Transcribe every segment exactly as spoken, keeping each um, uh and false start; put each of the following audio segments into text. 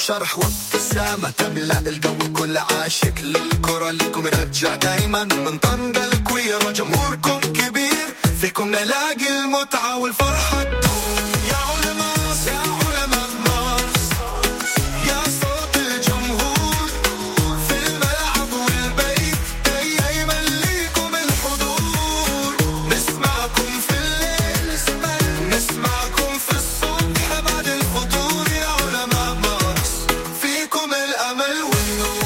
وشرح وابتسامة تملأ الجو، كل عاشق للكرة لكم رجع دايما من طنجة الكويرة، جمهوركم كبير فيكم نلاقي المتعة والفرحة تدوم. يا علماء يا علماء مارس، يا صوت الجمهور في الملعب والبيت، دايما ليكم الحضور. نسمعكم في الليل، نسمعكم في الصبح بعد الفطور. يا علماء مارس فيكم الأمل والنور.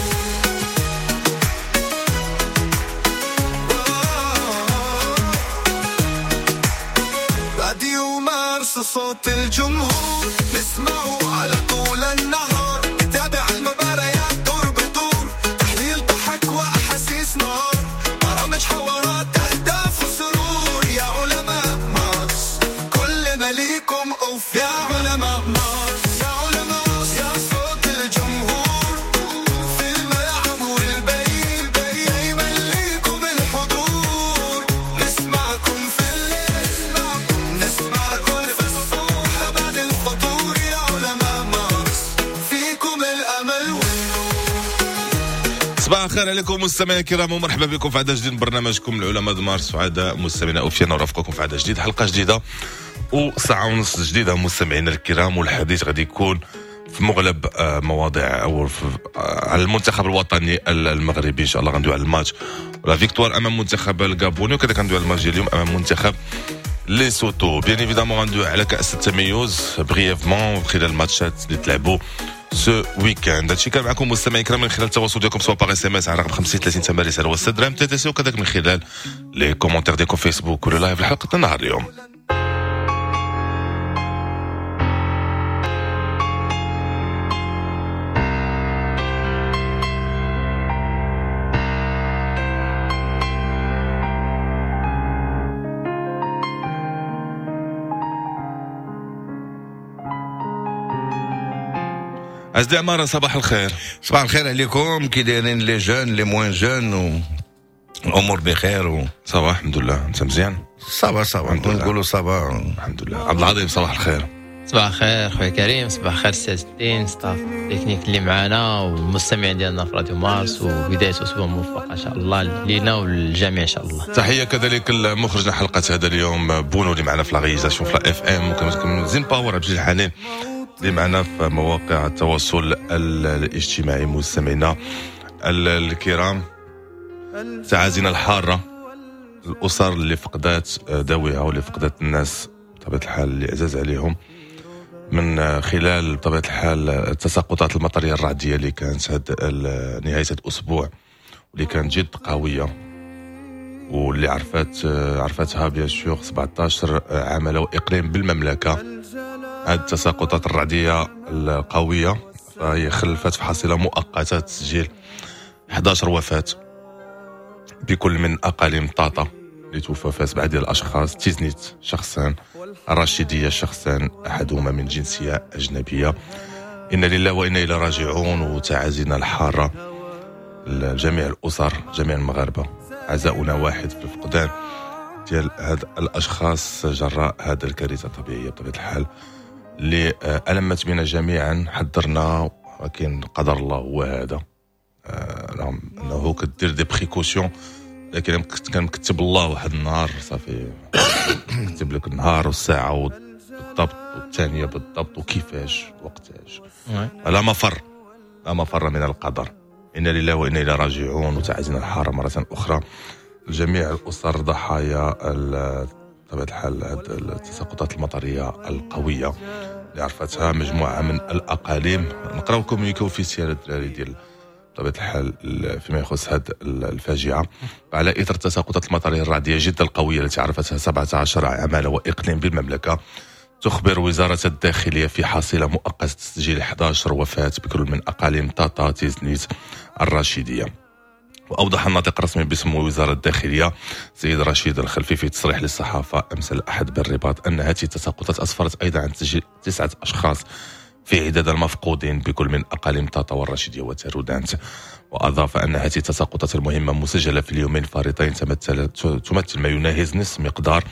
راديو مارس صوت الجمهور، نسمعه على طول النهار، نتابع المباريات دور بدور، تحليل ضحك وأحاسيس نار، برامج حوارات أهداف وسرور. يا علماء مارس كلنا ليكم أوف. يا علماء مارس، يا علماء، يا صوت الجمهور في الملعب والبيت، دايما ليكم الحضور. نسمعكم في الليل، نسمعكم في الصبح بعد الفطور. يا علماء مارس فيكم الأمل والنور. صباح الخير عليكم مستمعينا الكرام، ومرحبا بكم في عدد جديد من برنامجكم العلماء مارس. سعداء مستمعينا اوفينا ورافقكم في عدد جديد، حلقة جديدة وساعة ونص جديدة مستمعينا الكرام. والحديث غادي يكون في مغلب مواضيع او على المنتخب الوطني المغربي ان شاء الله. غندوي على الماتش la victoire امام منتخب الغابوني، وكذلك غندوي على الماتش ديال اليوم امام منتخب ليسوتو. bien évidemment غندوي على كاس التميز brièvement خلال الماتشات اللي تلعبوا ce week-end. هادشي كان معكم مستمعين الكرام من خلال التواصل ديالكم سواء par SMS على رقم خمسين ثلاثين ثمانية رسالة ستة درهم TTC، وكذلك من خلال les commentaires ديالكم فيسبوك ولا live لحلقة النهار اليوم. عزيزي عمارة صباح الخير. صباح الخير عليكم، كي دايرين les jeunes les moins jeunes و الامور بخير و... ça va الحمد لله. انت مزيان؟ ça va ça va نقولوا ça va الحمد لله. عبد العظيم صباح الخير. صباح الخير خويا كريم، صباح الخير سي الدين، staff technique اللي معنا والمستمعين ديالنا في راديو مارس، وبداية اسبوع موفقة ان شاء الله لينا وللجميع ان شاء الله. تحية كذلك المخرجنا حلقة هذا اليوم بونو اللي معنا في la réalisation في la FM، وكما زين باور عبد الحنين اللي معنا في مواقع التواصل الاجتماعي. مستمعينا الكرام، تعازينا الحارة الأسر اللي فقدات ذويها واللي فقدات الناس بطبيعة الحال اللي عزاز عليهم من خلال بطبيعة الحال التساقطات المطرية الرعدية اللي كانت هاد نهاية هاد الأسبوع، واللي كانت جد قوية واللي عرفت عرفتها bien sûr سبعطاش عمالة وإقليم بالمملكة. هذه التساقطات الرعدية القوية فهي خلفت في حصيلة مؤقتة تسجيل إحدى عشر وفاة بكل من أقاليم طاطا اللي توفى فيها سبعة ديال الأشخاص، تيزنيت شخصان، الرشيدية شخصان أحدهما من جنسية أجنبية. إنا لله وإنا إلى راجعون، وتعازينا الحارة لجميع الأسر، جميع المغاربة، عزاؤنا واحد في الفقدان ديال هاد الأشخاص جراء هذا الكارثة الطبيعية بطبيعة الحال اللي ألمت بنا جميعا. حذرنا ولكن قدر الله هو هذا، رغم أنه كدير des précautions، لكن كان مكتب الله واحد النهار صافي كتب لك النهار والساعة بالضبط والثانية بالضبط وكيفاش وقتاش. لا مفر، لا مفر من القدر. إنا لله وإنا إلى راجعون، وتعزينا الحارة مرة أخرى جميع الأسر ضحايا بطبيعة الحال التساقطات المطرية القوية اللي عرفتها مجموعة من الأقاليم. نقراو communiqué officiel الدراري ديال بطبيعة الحال فيما يخص هذه الفاجعة. على إثر التساقطات المطرية الرعدية جدا القوية التي عرفتها سبعة عشر عمالة وإقليم بالمملكة، تخبر وزارة الداخلية في حصيلة مؤقتة تسجيل إحدى عشر وفاة بكل من أقاليم طاطا تيزنيت الرشيدية. وأوضح الناطق الرسمي باسم وزارة الداخلية سيد رشيد الخلفي في تصريح للصحافة أمس الأحد بالرباط أن هذه التساقطات أسفرت أيضا عن تسجيل تسعة أشخاص في عداد المفقودين بكل من أقاليم طاطا والرشيدية وتارودانت. وأضاف أن هذه التساقطات المهمة مسجلة في اليومين الفارطين تمثل تمثل ما يناهز نصف مقدار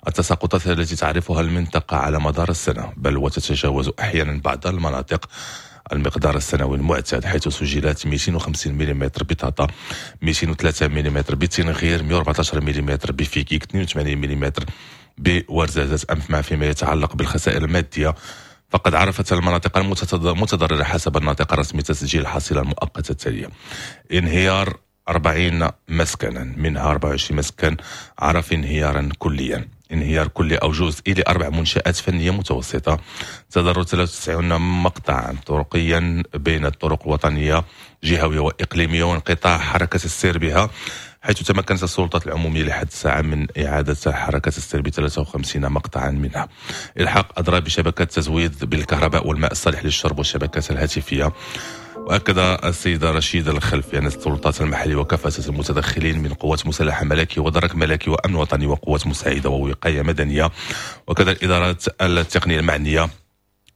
التساقطات التي تعرفها المنطقة على مدار السنة، بل وتتجاوز أحيانا بعض المناطق المقدار السنوي المعتاد، حيث سجلت مئتين وخمسين ملم بطاطا، مئتين وثلاثة ملم بتنغير، مئة وأربعة عشر ملم بفيكيك، اثنين وثمانين ملم بورزازات. أما فيما يتعلق بالخسائر المادية، فقد عرفت المناطق المتضررة حسب الناطق الرسمي تسجيل الحصيلة المؤقتة التالية: انهيار أربعين مسكنا، منها أربعة وعشرين مسكن عرف انهيارا كليا، انهيار كلي أو جزئي لأربع منشآت فنية متوسطة، تضرر ثلاثة وتسعين مقطعا طرقيا بين الطرق الوطنية جهوية وإقليمية وانقطاع حركة السير بها، حيث تمكنت السلطات العمومية لحد الساعة من إعادة حركة السير ب ثلاثة وخمسين مقطعا منها. إلحاق أضرار بشبكة التزويد بالكهرباء والماء الصالح للشرب والشبكات الهاتفية. وأكد السيد رشيد الخلفي أن السلطات المحلية وكافة المتدخلين من قوات مسلحة ملكية ودرك ملكي وأمن وطني وقوات مساعدة ووقاية مدنية وكذا الإدارات التقنية المعنية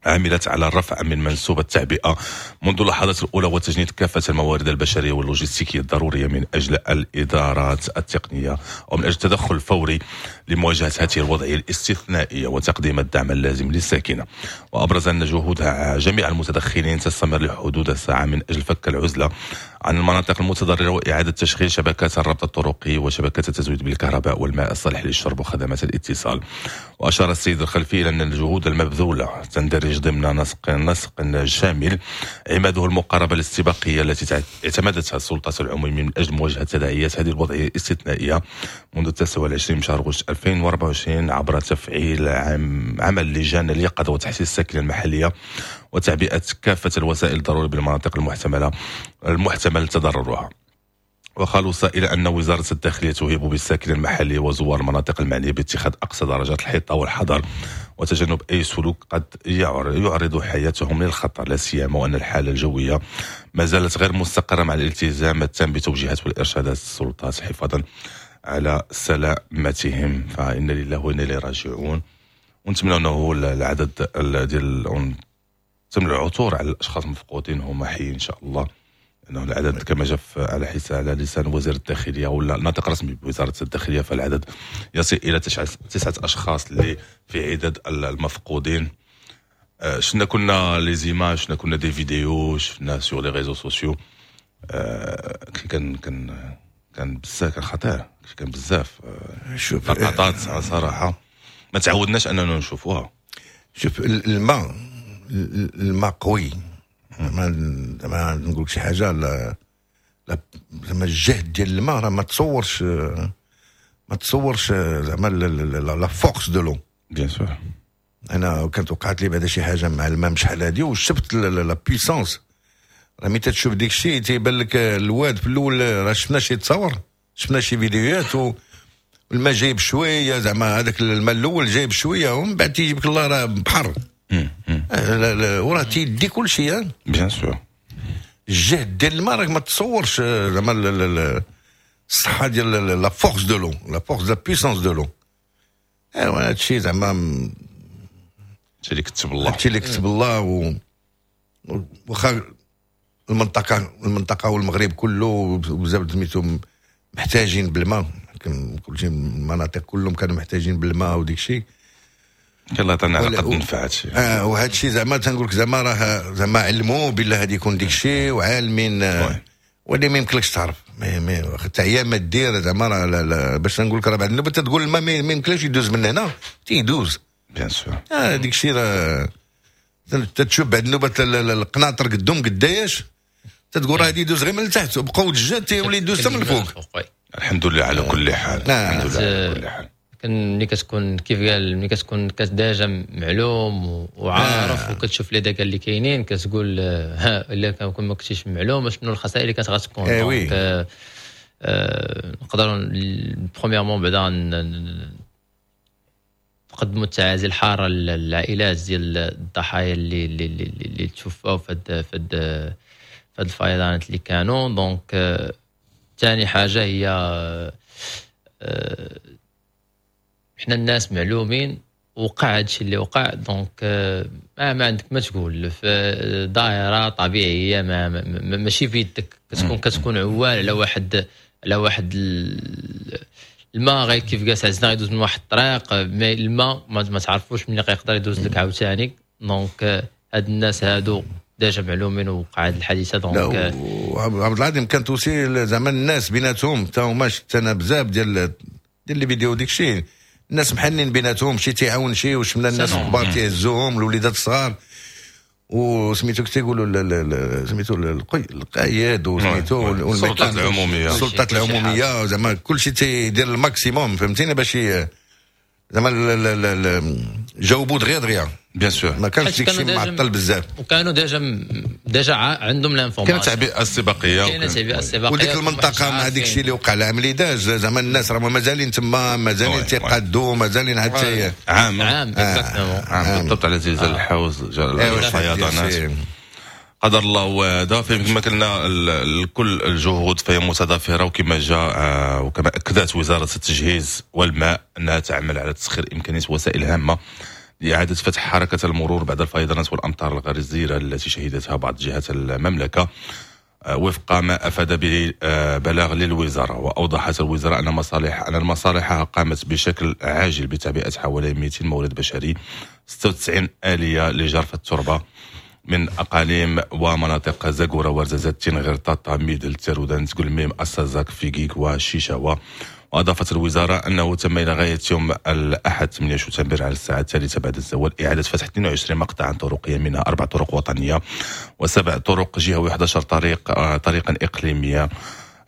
عملت على الرفع من منسوب التعبئة منذ اللحظات الأولى وتجنيد كافة الموارد البشرية واللوجستيكية الضرورية من أجل الإدارات التقنية ومن أجل التدخل الفوري لمواجهة هذه الوضعية الاستثنائية وتقديم الدعم اللازم للساكنة. وأبرز أن جهود جميع المتدخلين تستمر لحدود الساعة من أجل فك العزلة عن المناطق المتضررة وإعادة تشغيل شبكات الربط الطرقي وشبكات التزويد بالكهرباء والماء الصالح للشرب وخدمات الاتصال. وأشار السيد الخلفي إلى أن الجهود المبذولة تندرج ضمن نسق نسق شامل عماده المقاربة الاستباقية التي اعتمدتها السلطات العمومية من أجل مواجهة تداعيات هذه الوضعية الاستثنائية منذ التاسع والعشرين من شهر غشت ألفين وأربعة وعشرين عبر تفعيل عمل لجان اليقظة وتحسيس الساكنة المحلية وتعبئة كافة الوسائل الضرورية بالمناطق المحتملة المحتمل تضررها. وخلص إلى أن وزارة الداخلية تهيب بالساكنة المحلية وزوار المناطق المعنية باتخاذ أقصى درجات الحيطة والحذر وتجنب أي سلوك قد يعرض حياتهم للخطر، لا سيما وأن الحالة الجوية ما زالت غير مستقرة مع الالتزام التام بتوجيهات والإرشادات السلطات حفاظا على سلامتهم. فإن لله وإنا إليه راجعون، ونتمنى أنه العدد ديال تم العثور على الأشخاص المفقودين هما حيين إن شاء الله، لأنه العدد كما جاء على حساب على لسان وزير الداخلية ولا الناطق الرسمي بوزارة الداخلية فالعدد يصل إلى تسعة أشخاص اللي في عدد المفقودين. شفنا كنا les images، شفنا كنا des vidéos، شفنا sur les réseaux sociaux، كان كان كان بزاف، كان خطير، كان بزاف شوف لقطات صراحة ما تعودناش أننا نشوفوها. شوف الماء الماء قوي، ما ما نقولك شي حاجة، لا زعما الجهد ديال الماء راه ما تصورش، ما تصورش زعما la force de l'eau. bien sûr انا كانت وقعت لي بعدا شي حاجة مع الماء شحال هادي وشفت la puissance، راه ملي تشوف ديك الشيء تيبان لك الواد في الاول، راه شفنا شي تصاور، شفنا شي فيديوهات و الماء جايب شوية، زعما هذاك الماء الاول جايب شوية ومن بعد تيجيبك الله راه بحر وراه تيدي كل شيء. bien sûr الجهد ديال الماء راك ما تصورش زعما الصحة ديال la force de l'eau، la force la puissance de l'eau. ايوا هادشي زعما هادشي اللي كتب الله، هادشي اللي كتب الله. و واخا المنطقة المنطقة والمغرب كله بزاف سميتو محتاجين بالماء، كلشي المناطق كلهم كانوا محتاجين بالماء وديك الشيء. الله يعطينا على قد نفع هادشي. اه وهذا الشيء زعما تنقول لك زعما راه زعما علموا بالله غادي يكون ديك الشيء وعالمين، ولي ما يمكنلكش تعرف حتى هي ما دير زعما راه باش نقول لك راه بعد النوبة تقول الماء ما يمكنلكش يدوز من هنا تيدوز. bien sûr اه ديك الشيء راه تتشوف بعد النوبة القناطر قدهم قداش تتقول راه غادي يدوز غير من التحت وبقاو الجات تيولي يدوز حتى من الفوق. الحمد لله على كل حال، الحمد لله على كل حال. ملي كتكون كيف قال ملي كتكون déjà معلوم وعارف آه. وكتشوف les dégâts اللي كاينين كتقول ها الا كان ما كنتيش معلوم شنو الخسائر اللي كانت غتكون. آه oui. آه آه نقدروا premièrement بعدا نقدموا التعازي الحارة للعائلات ديال الضحايا اللي اللي اللي, اللي توفاو في هاد في هاد الفيضانات اللي كانوا. donc ثاني حاجة هي آه حنا الناس معلومين وقع هادشي اللي وقع، donc ما, ما عندك ما تقول، في ظاهره طبيعية ما, ما ماشي في يدك، كتكون كتكون عوال على واحد على واحد الماء غير كيف قال عزنا غيدوز من واحد الطريق، mais الماء ما, ما تعرفوش ملي غيقدر يدوز لك عاوتاني. donc هاد الناس هادو déjà معلومين وقع هذه الحادثة. donc عبد العظيم كانت aussi زعما الناس بيناتهم حتى هما، شفت انا بزاف ديال ديال les vidéos ديك الشيء، الناس محنين بيناتهم، شي تيعاون شي، وشفنا الناس الكبار تيهزوهم الوليدات الصغار، وسميتو تيقولوا سميتو القايد وسميتو السلطات العموميه. السلطات العموميه، زعما كل شيء تيدير ال maximum، فهمتيني، باش زعما جاوبوا دغيا دغيا. bien sûr. ما كانش ديك الشيء معطل بزاف. وكانوا déjà déjà عندهم l'information. كانت تعبئة استباقيه. كاينه تعبئة استباقيه. وديك المنطقة مع ديك الشيء اللي وقع العام اللي داز، زعما الناس راهم مازالين تما، مازالين تيقادوا، مازالين حتى عام عام. عام بالضبط على زلزال الحوز، الفيضانات، قدر الله هذا. فكما قلنا كل الجهود فهي متضافره، وكما جاء وكما اكدت وزارة التجهيز والماء انها تعمل على تسخير امكانيات وسائل هامة لإعادة فتح حركة المرور بعد الفيضانات والأمطار الغزيرة التي شهدتها بعض جهات المملكة، وفق ما أفاد به بلاغ للوزارة. وأوضحت الوزارة أن مصالح أن المصالح قامت بشكل عاجل بتعبئة حوالي مئتين مورد بشري، ستة وتسعين آلية لجرف التربة من أقاليم ومناطق زاكورة، ورزازات، تنغير، طاطا، ميدلت، تارودانت، كلميم، السزاك، فيكيك وشيشاوة. وأضافت الوزارة أنه تم إلى غاية يوم الأحد ثمانية شتنبر على الساعة الثالثة بعد الزوال إعادة فتح اثنين وعشرين مقطعا طرقيا، منها أربع طرق وطنية وسبع طرق جهوية وأحد عشر طريق طريقا إقليمية،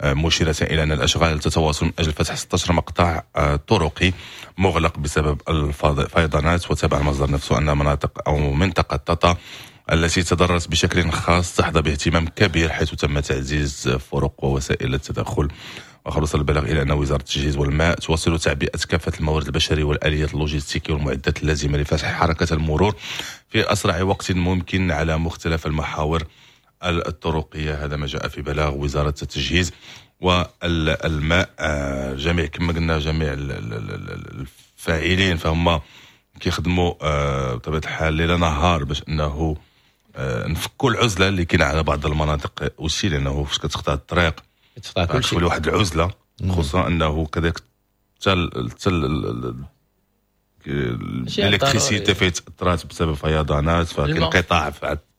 مشيرة إلى أن الأشغال تتواصل من أجل فتح ستة عشر مقطع طرقي مغلق بسبب الفيضانات. وتابع المصدر نفسه أن مناطق أو منطقة طاطا التي تضررت بشكل خاص تحظى باهتمام كبير، حيث تم تعزيز فرق ووسائل التدخل. وخلص البلاغ إلى أن وزارة التجهيز والماء تواصل تعبئة كافة الموارد البشرية والآليات اللوجستيكية والمعدات اللازمة لفتح حركة المرور في أسرع وقت ممكن على مختلف المحاور الطرقية. هذا ما جاء في بلاغ وزارة التجهيز والماء. جميع كما قلنا جميع الفاعلين فهم كيخدموا بطبيعة الحال ليل نهار باش أنه نفكوا العزلة اللي كاينة على بعض المناطق aussi، لأنه فاش كتقطع الطريق تقطع كل شيء، واحد العزلة، خصوصا انه كذلك حتى حتى ال électricité فيه تاثرات بسبب فيضانات، فكاين انقطاع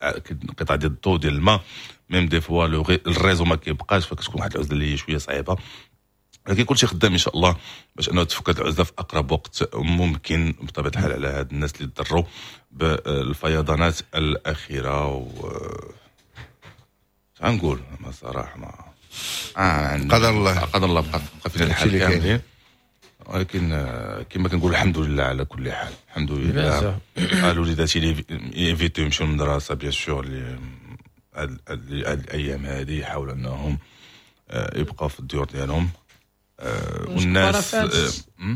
انقطاع ديال الضوء ديال الماء، même des fois ال réseau ما كيبقاش، فكتكون واحد العزلة اللي هي شوية صعيبة. لكن كلشي خدام ان شاء الله باش انه تفك العزلة في اقرب وقت ممكن بطبيعة الحال على هاد الناس اللي تضروا بالفيضانات الاخيرة. و غنقول ما صراحة ما آه قدر الله، قدر الله، بقى بقى فينا الحال كاملين، ولكن كما كنقول الحمد لله على كل حال، الحمد لله. الوليدات اللي éviter يمشيو للمدرسة bien sûr اللي هاد الايام هذه يحاولوا انهم يبقاو في الديور ديالهم. والناس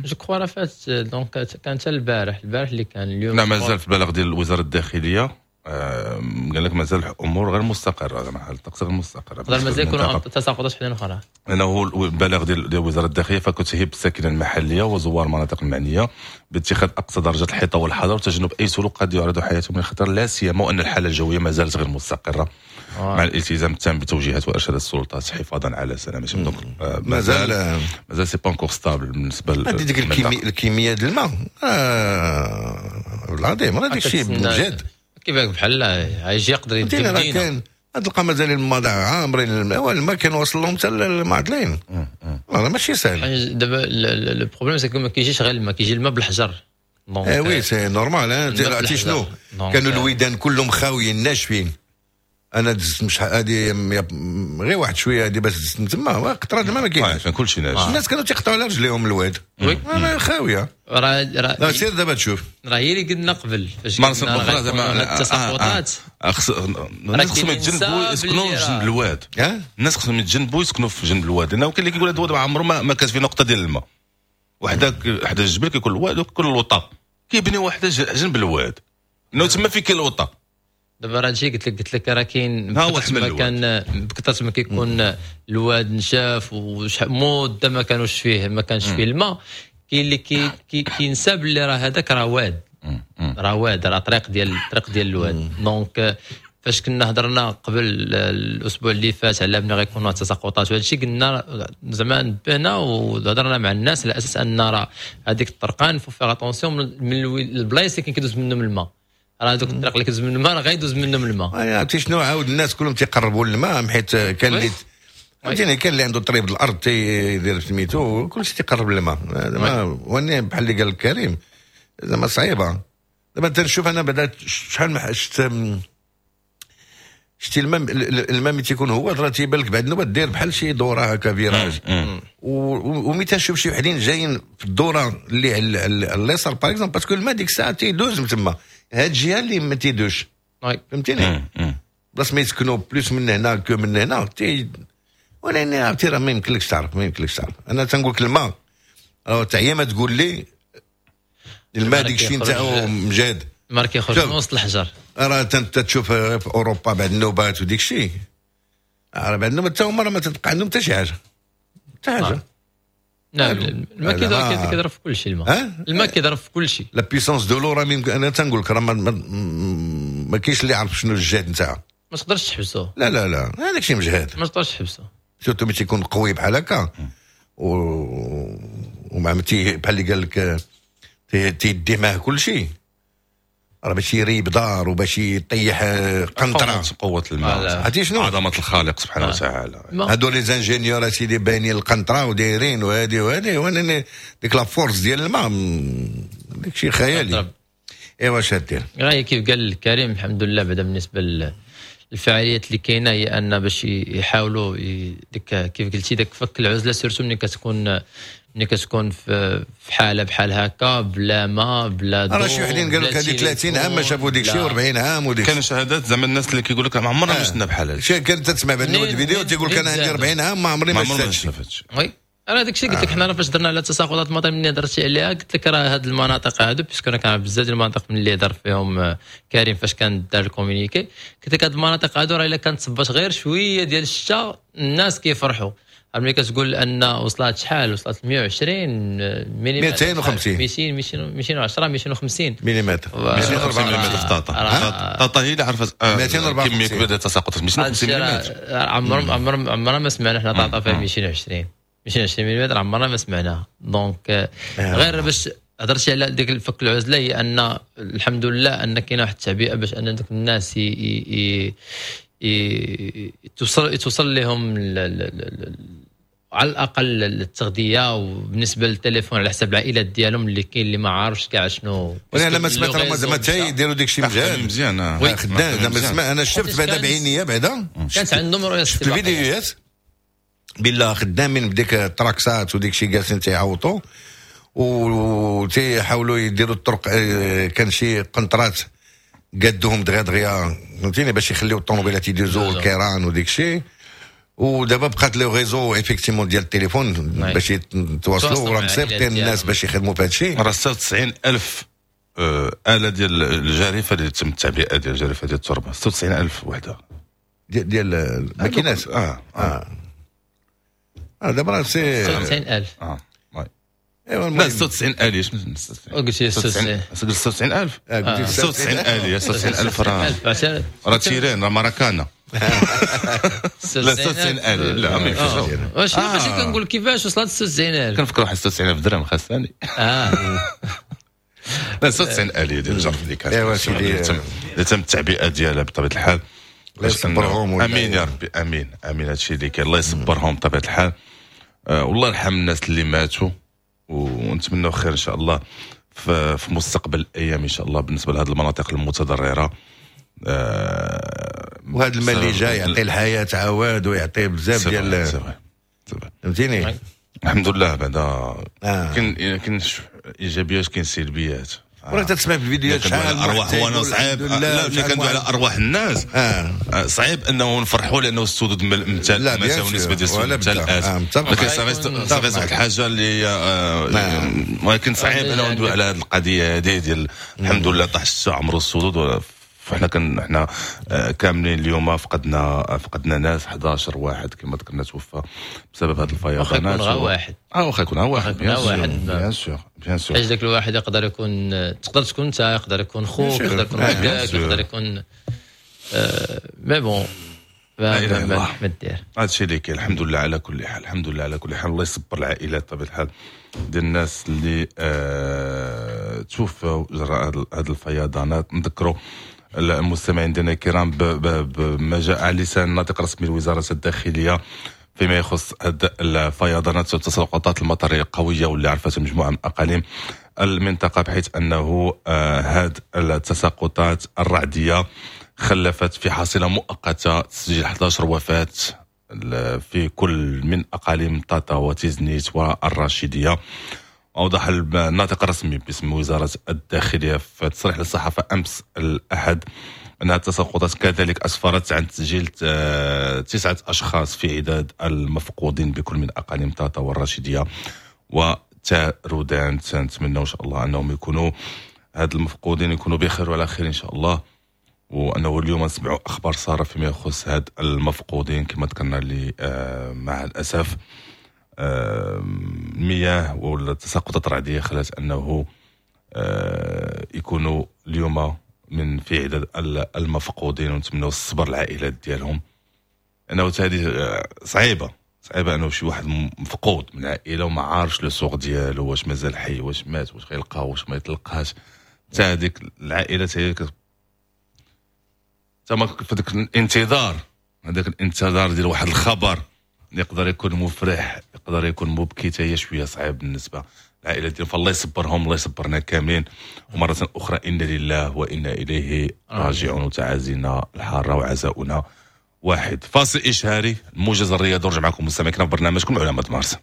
je crois راه فات، donc كان حتى البارح، البارح اللي كان اليوم. لا مازال في البلاغ ديال وزارة الداخلية قال لك مازال الامور غير مستقره، زعما حال الطقس غير مستقره، يقدر مازال يكونوا تساقطات حدا اخرى. لانه هو البلاغ ديال ديال وزارة الداخلية فكتهب الساكنة المحلية وزوار المناطق المعنية باتخاذ اقصى درجه الحيطة والحذر وتجنب اي سلوك قد يعرض حياتهم للخطر، لا سيما وان الحالة الجوية ما زالت غير مستقره، آه. مع الالتزام التام بتوجيهات وارشادات السلطات حفاظا على سلامتهم. donc مازال مازال c'est pas encore stable بالنسبة ديك الكمية ديال الماء آه العظيم، راه داك الشيء بجد كيفاك بحال غيجي يقدر يدير راه كان تلقى مازال الماء عامرين الماء، الماء كان واصل لهم حتى المعدلين، راه ماشي ساهل. دابا le problème c'est ما كيجيش غير الماء، كيجي الماء بالحجر. اه oui c'est normal. عرفتي شنو كانوا الويدان كلهم خاويين ناشفين. انا دزت مش هذه غير واحد شوية هذه باش دزت تما قطرات الماء ما كاينش، كلشي ناشف، الناس كانوا تيقطعوا على رجليهم الواد خاوية. راه راه سير دابا تشوف، راه هي اللي قلنا قبل فاش قلنا زعما التساقطات، الناس خصهم يتجنبوا يسكنوا في جنب الواد، الناس خصهم يتجنبوا يسكنوا في جنب الواد، لانه كاين اللي كيقول هذا الواد ما عمره ما كانت فيه نقطة ديال الماء، وحده حدا الجبل كيكون الواد وكل الوطا كيبني وحده جنب الواد، لانه تما فين كاين الوطا. دابا راه هادشي قلت لك قلت لك راه كاين ما كان بكثرة ما كيكون الواد نشاف ومده ما كانوش فيه ما كانش فيه الماء، كاين اللي كي كينسى باللي راه هذاك راه واد، راه واد، راه طريق ديال الطريق ديال الواد. donc فاش كنا هضرنا قبل الاسبوع اللي فات على بلي غيكونوا تساقطات وهذا الشيء، قلنا زعما نبهنا وهضرنا مع الناس على اساس ان راه هذيك الطرقان faut faire attention من البلايص اللي كيدوز منهم الماء، راه دوك الطريق اللي كيدوز من الماء راه غيدوز منهم الماء. عرفتي شنو، عاود الناس كلهم تيقربوا للماء حيت كان اللي فهمتيني كان اللي عنده طريق الارض تيدير سميتو كلشي تيقرب للماء. واني بحال اللي قال كريم زعما صعيبة. دابا تنشوف انا بعدا شحال ما شفت شتي الماء، الماء ملي تيكون هو راه تيبان لك بعد النوبة دير بحال شي دوره هكا virage، وملي تنشوف شي وحدين جايين في الدورة اللي على اليسار par exemple parce que الماء ديك الساعة تيدوز من تما، هاد الجهة اللي ما تيدوش فهمتيني، بلاص ما يسكنوا plus من هنا que من هنا تي. ولكن عرفتي راه ما يمكنلكش تعرف، ما يمكنلكش تعرف. انا تنقول لك الماء راه تعيا ما تقول لي الماء ديك الشيء نتاعو مجاد، الماء كيخرج من وسط الحجر. راه تشوف في اوروبا بعد النوبات وديك الشيء، راه بعد النوبات حتى هما راه ما تبقى عندهم حتى شي حاجة، حتى حاجة. نعم الماء كيضرب في كل شيء، الماء الماء كيضرب في كل شيء. la puissance de l'eau راه انا تنقول لك راه ما كاينش اللي يعرف شنو الجهد نتاعها، ما تقدرش تحبسو. لا لا لا هذاك الشيء مجهد، ما تقدرش تحبسو، surtout ملي تيكون قوي بحال هكا و ومع بحال اللي قال لك تيدي معاه كل شيء، راه باش يريب دار وباش يطيح قنطرة. قوة الماء عرفتي شنو؟ عظمه الخالق سبحانه وتعالى. هادو les ingénieurs سيدي باينين القنطرة ودايرين وهادي وهادي، وانا ديك la force ديال الماء داك الشيء خيالي. ايوا اش دير؟ غير كيف قال كريم الحمد لله. بعدا بالنسبة للفعاليات اللي كاينه هي ان باش يحاولوا ديك كيف قلتي داك فك العزلة، surtout ملي كتكون ملي كتكون في حاله بحال هكا بلا ما بلا ضوء. راه شي وحدين قالوا لك هذه ثلاثين عام ما شافوا ديك الشيء وأربعين عام وديك. كانوا شهادات زعما الناس اللي كيقول لك ما عمرنا ما شفنا بحال هذا الشيء. كانت تسمع بعد الفيديو تيقول لك انا عندي أربعين عام ما عمري ما شفت هادشي. oui انا داك الشيء قلت لك حنا فاش درنا على تساقطات المطر ملي هضرتي عليها قلت لك راه هاد المناطق هادو parce que انا كان بزاف ديال المناطق من اللي هضر فيهم كريم فاش كان دار ال communiqué، قلت لك هاد المناطق هادو راه الا كانت صبات غير شوية ديال الشتاء الناس كيفرحوا. ملي كتقول ان وصلت شحال وصلت مية وعشرين مليمتر، مئتين وخمسين، مئتين مئتين وعشرة مئتين وخمسين مليمتر، مئتين وأربعة مليمتر في طاطا. طاطا هي اللي عرفت كمية كبيرة ديال التساقطات مئتين وخمسين مليمتر. عمر عمر عمرنا ما سمعنا حنا طاطا فيها مئتين وعشرين مئتين وعشرين مليمتر، عمرنا ما سمعناها. donc غير باش هضرتي على ديك الفك العزلة هي ان الحمد لله ان كاينه واحد التعبئه باش ان دوك الناس ي توصل توصل لهم على الاقل التغذية، وبالنسبة للتليفون على حسب العائلات ديالهم اللي كاين اللي ما عارفش كاع شنو. وانا لما سمعت راه زعما حتى يديروا داك الشيء مزيان مزيان خدام زعما. سمع انا شفت بعدا بعينيا بعدا كانت عندهم رؤية شفت الفيديوهات بالله خدامين بديك التراكسات وديك الشيء جالسين تيعوطوا وتيحاولوا يديروا الطرق. كان شي قنطرات قادوهم دغيا دغيا فهمتيني باش يخليو الطوموبيلات يدوزوا الكيران وديك الشيء. ودابا بقات le réseau effectivement ديال التليفون باش يتواصلوا، وراه مصيفطين الناس باش يخدموا في هذا الشيء. راه ستة وتسعين ألف آلة ديال الجارفة اللي تم التعبئة ديال الجارفة ديال التربة، ستة وتسعين ألف وحدة ديال ديال الماكينات. اه اه اه دابا راه c'est ستة وتسعين ألف. اه ايوا لا ستة وتسعين آلية. قلت ستة وتسعين ألف، ستة وتسعين آلية، ستة وتسعين ألف راه راه terrain راه ماراكانا. لا ستة وتسعين آلية لا ما يمكنش. واش ماشي كنقول كيفاش وصلت ستة وتسعين ألف؟ كنفكر واحد ستة وتسعين ألف درهم خاصني. اه لا ستة وتسعين آلية ديال الجرف اللي كانت ايوا سيدي اللي تم التعبئة ديالها بطبيعة الحال. الله يصبرهم. امين يا ربي، امين امين. هادشي اللي كاين الله يصبرهم بطبيعة الحال. والله يرحم الناس اللي ماتوا، ونتمنوا خير ان شاء الله في مستقبل الايام ان شاء الله بالنسبة لهذه المناطق المتضررة. أه وهذا المال اللي جاي يعطي الحياة عواد ويعطي بزاف ديال فهمتيني. الحمد لله بعدا آه. كاين كاين ايجابيات كاين سلبيات. ولا تسمع في الفيديوهات شحال ارواح وانا صعيب. لا ملي كندوي على ارواح الناس آه. صعيب انه نفرحوا لانه السدود ممتلئ مثلا نسبه ديال السدود ممتلئات، ولكن صافي واحد الحاجة اللي هي ولكن صعيب انه ندوي على هذه القضية هذه ديال الحمد لله طاح الشتاء عمرو السدود. فاحنا كن احنا كاملين اليوم فقدنا فقدنا ناس أحد عشر واحد كما ذكرنا توفى بسبب هذه الفيضانات. واخا يكون غير واحد اه واخا يكون غير واحد bien sûr bien sûr. حيت ذاك الواحد يقدر يكون تقدر تكون انت، يقدر يكون خوك، يقدر يكون ولدك، يقدر يكون mais bon لا ما ما دير هادشي اللي كاين. الحمد لله على كل حال، الحمد لله على كل حال. الله يصبر العائلات بطبيعة الحال ديال الناس اللي آه توفوا جراء هذه الفيضانات. نذكروا المستمعين ديالنا الكرام بما جاء على لسان الناطق الرسمي لوزارة الداخلية فيما يخص هذه الفيضانات والتساقطات المطريه القوية واللي عرفتها مجموعة من اقاليم المنطقة، بحيث انه هذه التساقطات الرعديه خلفت في حصيله مؤقتة تسجيل أحد عشر وفاه في كل من اقاليم طاطا وتيزنيت والراشديه. أوضح الناطق الرسمي باسم وزارة الداخلية في تصريح للصحافة أمس الأحد أنها التساقطات كذلك أسفرت عن تسجيل تسعة أشخاص في عداد المفقودين بكل من أقاليم طاطا والراشدية وتارودان. نتمنى إن شاء الله أنهم يكونوا هاد المفقودين يكونوا بخير وعلى خير إن شاء الله، وأنه اليوم نسمعوا أخبار سارة فيما يخص هاد المفقودين كما ذكرنا اللي مع الأسف المياه والتساقطات الرعديه خلت انه يكونوا اليوم من في عدد المفقودين، ونتمنوا الصبر العائلات ديالهم. انه هذه صعيبة صعيبة انه شي واحد مفقود من العائلة وما عارفش le sort ديالو، واش مازال حي، واش مات، واش غيلقاه، واش ما يتلقاش. حتى هذيك العائلة هي تما في ذاك الانتظار، هذاك الانتظار ديال واحد الخبر يقدر يكون مفرح يقدر يكون مبكي، حتى هي شوية صعيب بالنسبة للعائلة ديالهم. فالله يصبرهم، الله يصبرنا كاملين. ومرة اخرى انا لله وانا اليه راجعون، وتعازينا الحارة وعزاؤنا واحد. فاصل اشهاري، الموجز الرياضي، ونرجع معكم مستمعينا في برنامجكم علامة مارس.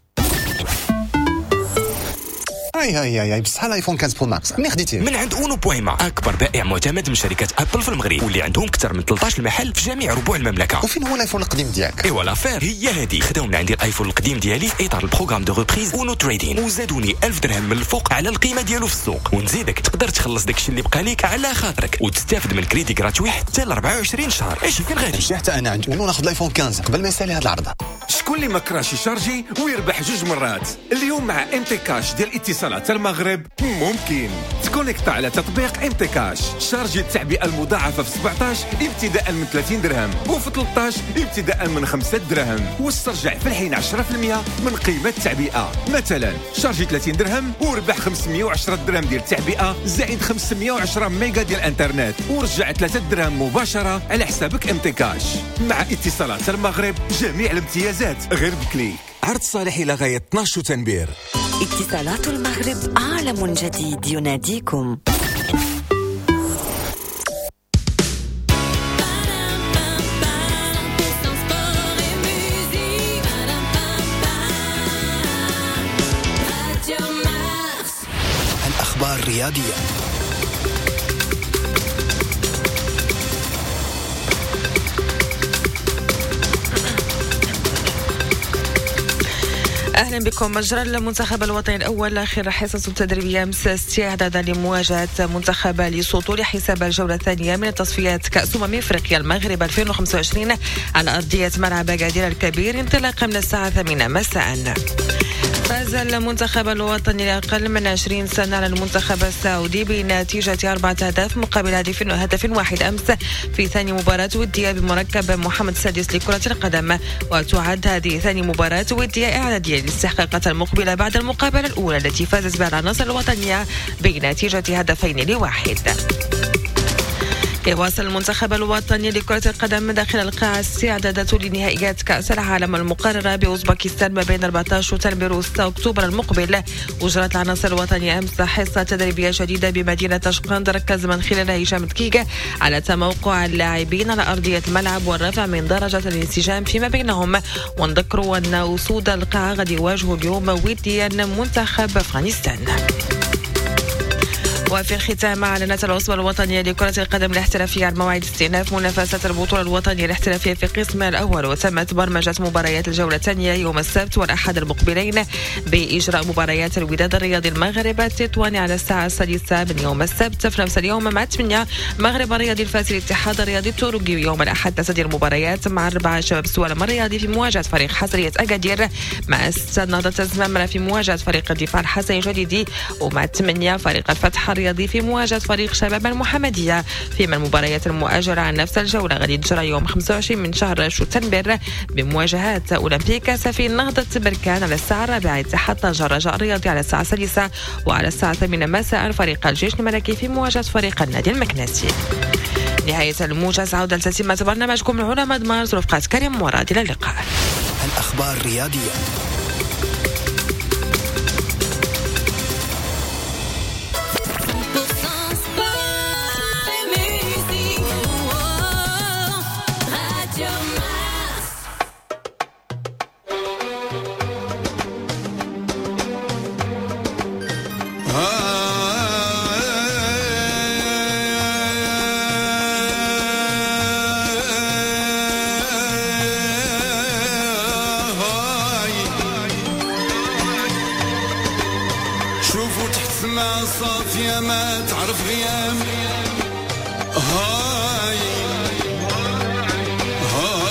هاي هاي هاي بصح الايفون خمسطاش Pro Max منين خديتيه؟ من عند اونو بويما، اكبر بائع معتمد من شركة ابل في المغرب، واللي عندهم اكثر من ثلاثة عشر محل في جميع ربوع المملكة. وفين هو الايفون القديم ديالك؟ ايوا l'affaire هي هذه، خداو من عندي الايفون القديم ديالي في اطار ال programme de reprise اونو Trading، وزادوني ألف درهم من الفوق على القيمة ديالو في السوق. ونزيدك تقدر تخلص داكشي اللي بقى ليك على خاطرك وتستافد من crédit gratuit حتى ل أربعة وعشرين شهر. اش فين غادي؟ مشي حتى انا عند اونو ناخذ الايفون خمسطاش قبل ما يسالي هذا العرض. شكون اللي ما كراش يشارجي ويربح جوج مرات؟ اليوم مع ام تي كاش ديال اتصالات المغرب ممكن تكونيكتا على تطبيق ام تي كاش، شارجي التعبئه المضاعفه في سبعطاش ابتداء من ثلاثين درهم، وفي ثلاثطاش ابتداء من خمسة درهم، واسترجع في الحين عشرة بالمية من قيمة التعبئه. مثلا شارجي ثلاثين درهم وربح خمسمية وعشرة درهم ديال التعبئه زائد خمسمية وعشرة ميجا ديال الانترنت، ورجع ثلاثة درهم مباشرة على حسابك ام تي كاش. مع اتصالات المغرب جميع الامتيازات غير ب clic. عرض صالح إلى غاية اثناش شتنبير. اتصالات المغرب، عالم جديد يناديكم. الأخبار الرياضية. اهلا بكم. مجرى المنتخب الوطني الاول اخر حصص تدريبية امس استعدادا لمواجهة منتخب ليسوتو لحساب الجولة الثانية من تصفيات كاس امم افريقيا المغرب ألفين وخمسة وعشرين على ارضية ملعب اكادير الكبير انطلاقا من الساعة الثامنة مساء. فاز المنتخب الوطني لأقل من عشرين سنة على المنتخب السعودي بنتيجة أربعة أهداف مقابل هدف هدف واحد أمس في ثاني مباراة ودية بمركب محمد السادس لكرة القدم، وتعد هذه ثاني مباراة ودية إعدادية للاستحقاقات المقبلة بعد المقابلة الأولى التي فازت بها العناصر الوطنية بنتيجة هدفين لواحد. يواصل المنتخب الوطني لكرة القدم داخل القاعة استعداداته لنهائيات كأس العالم المقررة بأوزبكستان ما بين أربعة عشر شتنبر وستة أكتوبر المقبل. وجرت العناصر الوطنية أمس حصة تدريبية جديدة بمدينة طشقند ركز من خلالها هشام دكيك على تموقع اللاعبين على أرضية الملعب والرفع من درجة الانسجام فيما بينهم. ونذكروا أن أسود القاعة غادي يواجهوا اليوم وديا منتخب أفغانستان. وفي الختام أعلنت العصبة الوطنية لكرة القدم الاحترافية عن موعد استئناف منافسة البطولة الوطنية الاحترافية في قسمها الأول، وتمت برمجة مباريات الجولة الثانية يوم السبت والأحد المقبلين بإجراء مباريات الوداد الرياضي المغرب التطواني على الساعة السادسة من يوم السبت، في نفس اليوم مع ثمانية مغرب الرياضي الفاسي الاتحاد الرياضي التورقي. يوم الأحد تسدير المباريات مع أربعة شباب سوالم الرياضي في مواجهة فريق حسرية أكادير، مع ستة نهضة الزمامرة في مواجهة فريق الدفاع الحسني الجديدي، ومع ثمانية فريق الفتح الرياضي الرياضي في مواجهة فريق شباب المحمدية. فيما المباريات المؤجلة عن نفس الجولة غادي تجرى يوم خمسة وعشرين من شهر شتنبر بمواجهات أولمبيك آسفي نهضة بركان على الساعة الرابعة، اتحاد طنجة الرجاء الرياضي على الساعة السادسة، وعلى الساعة الثامنة مساء فريق الجيش الملكي في مواجهة فريق النادي المكناسي. نهاية الموجز، عودة لتتمة برنامجكم العلماء مارس رفقة كريم مراد. إلى اللقاء. الأخبار الرياضية. صافية ما تعرف غيام، هاي هاي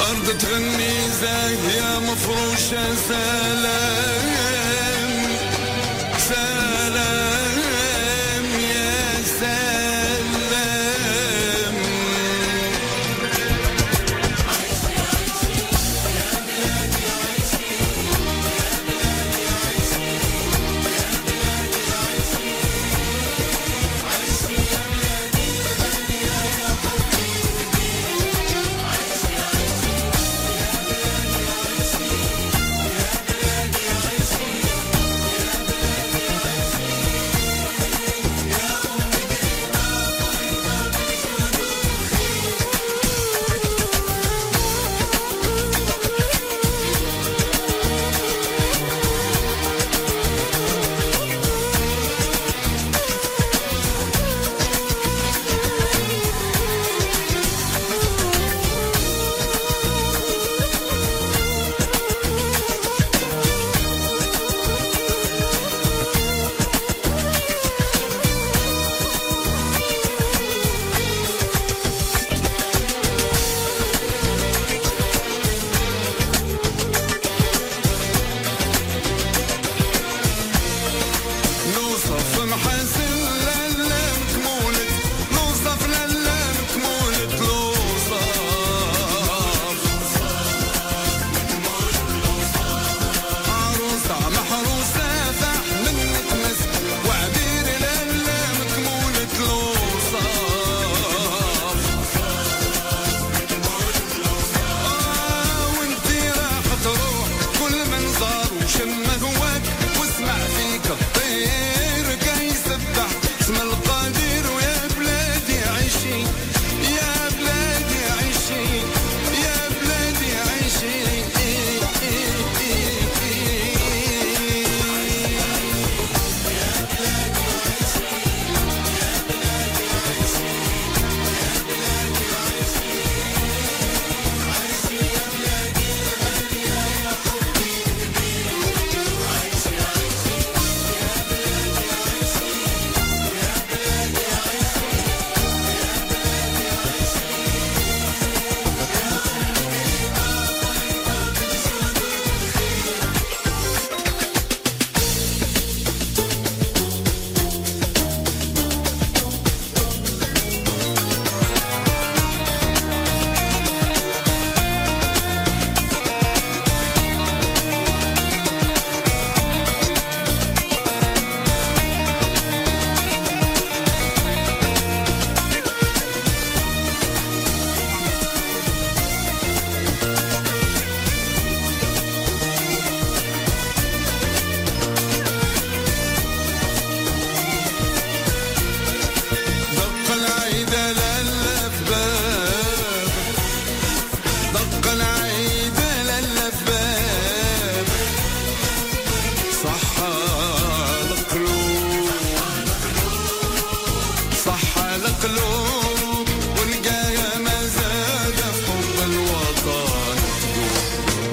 أرض تغني زاهية مفروشة سلام سلام يا سلام.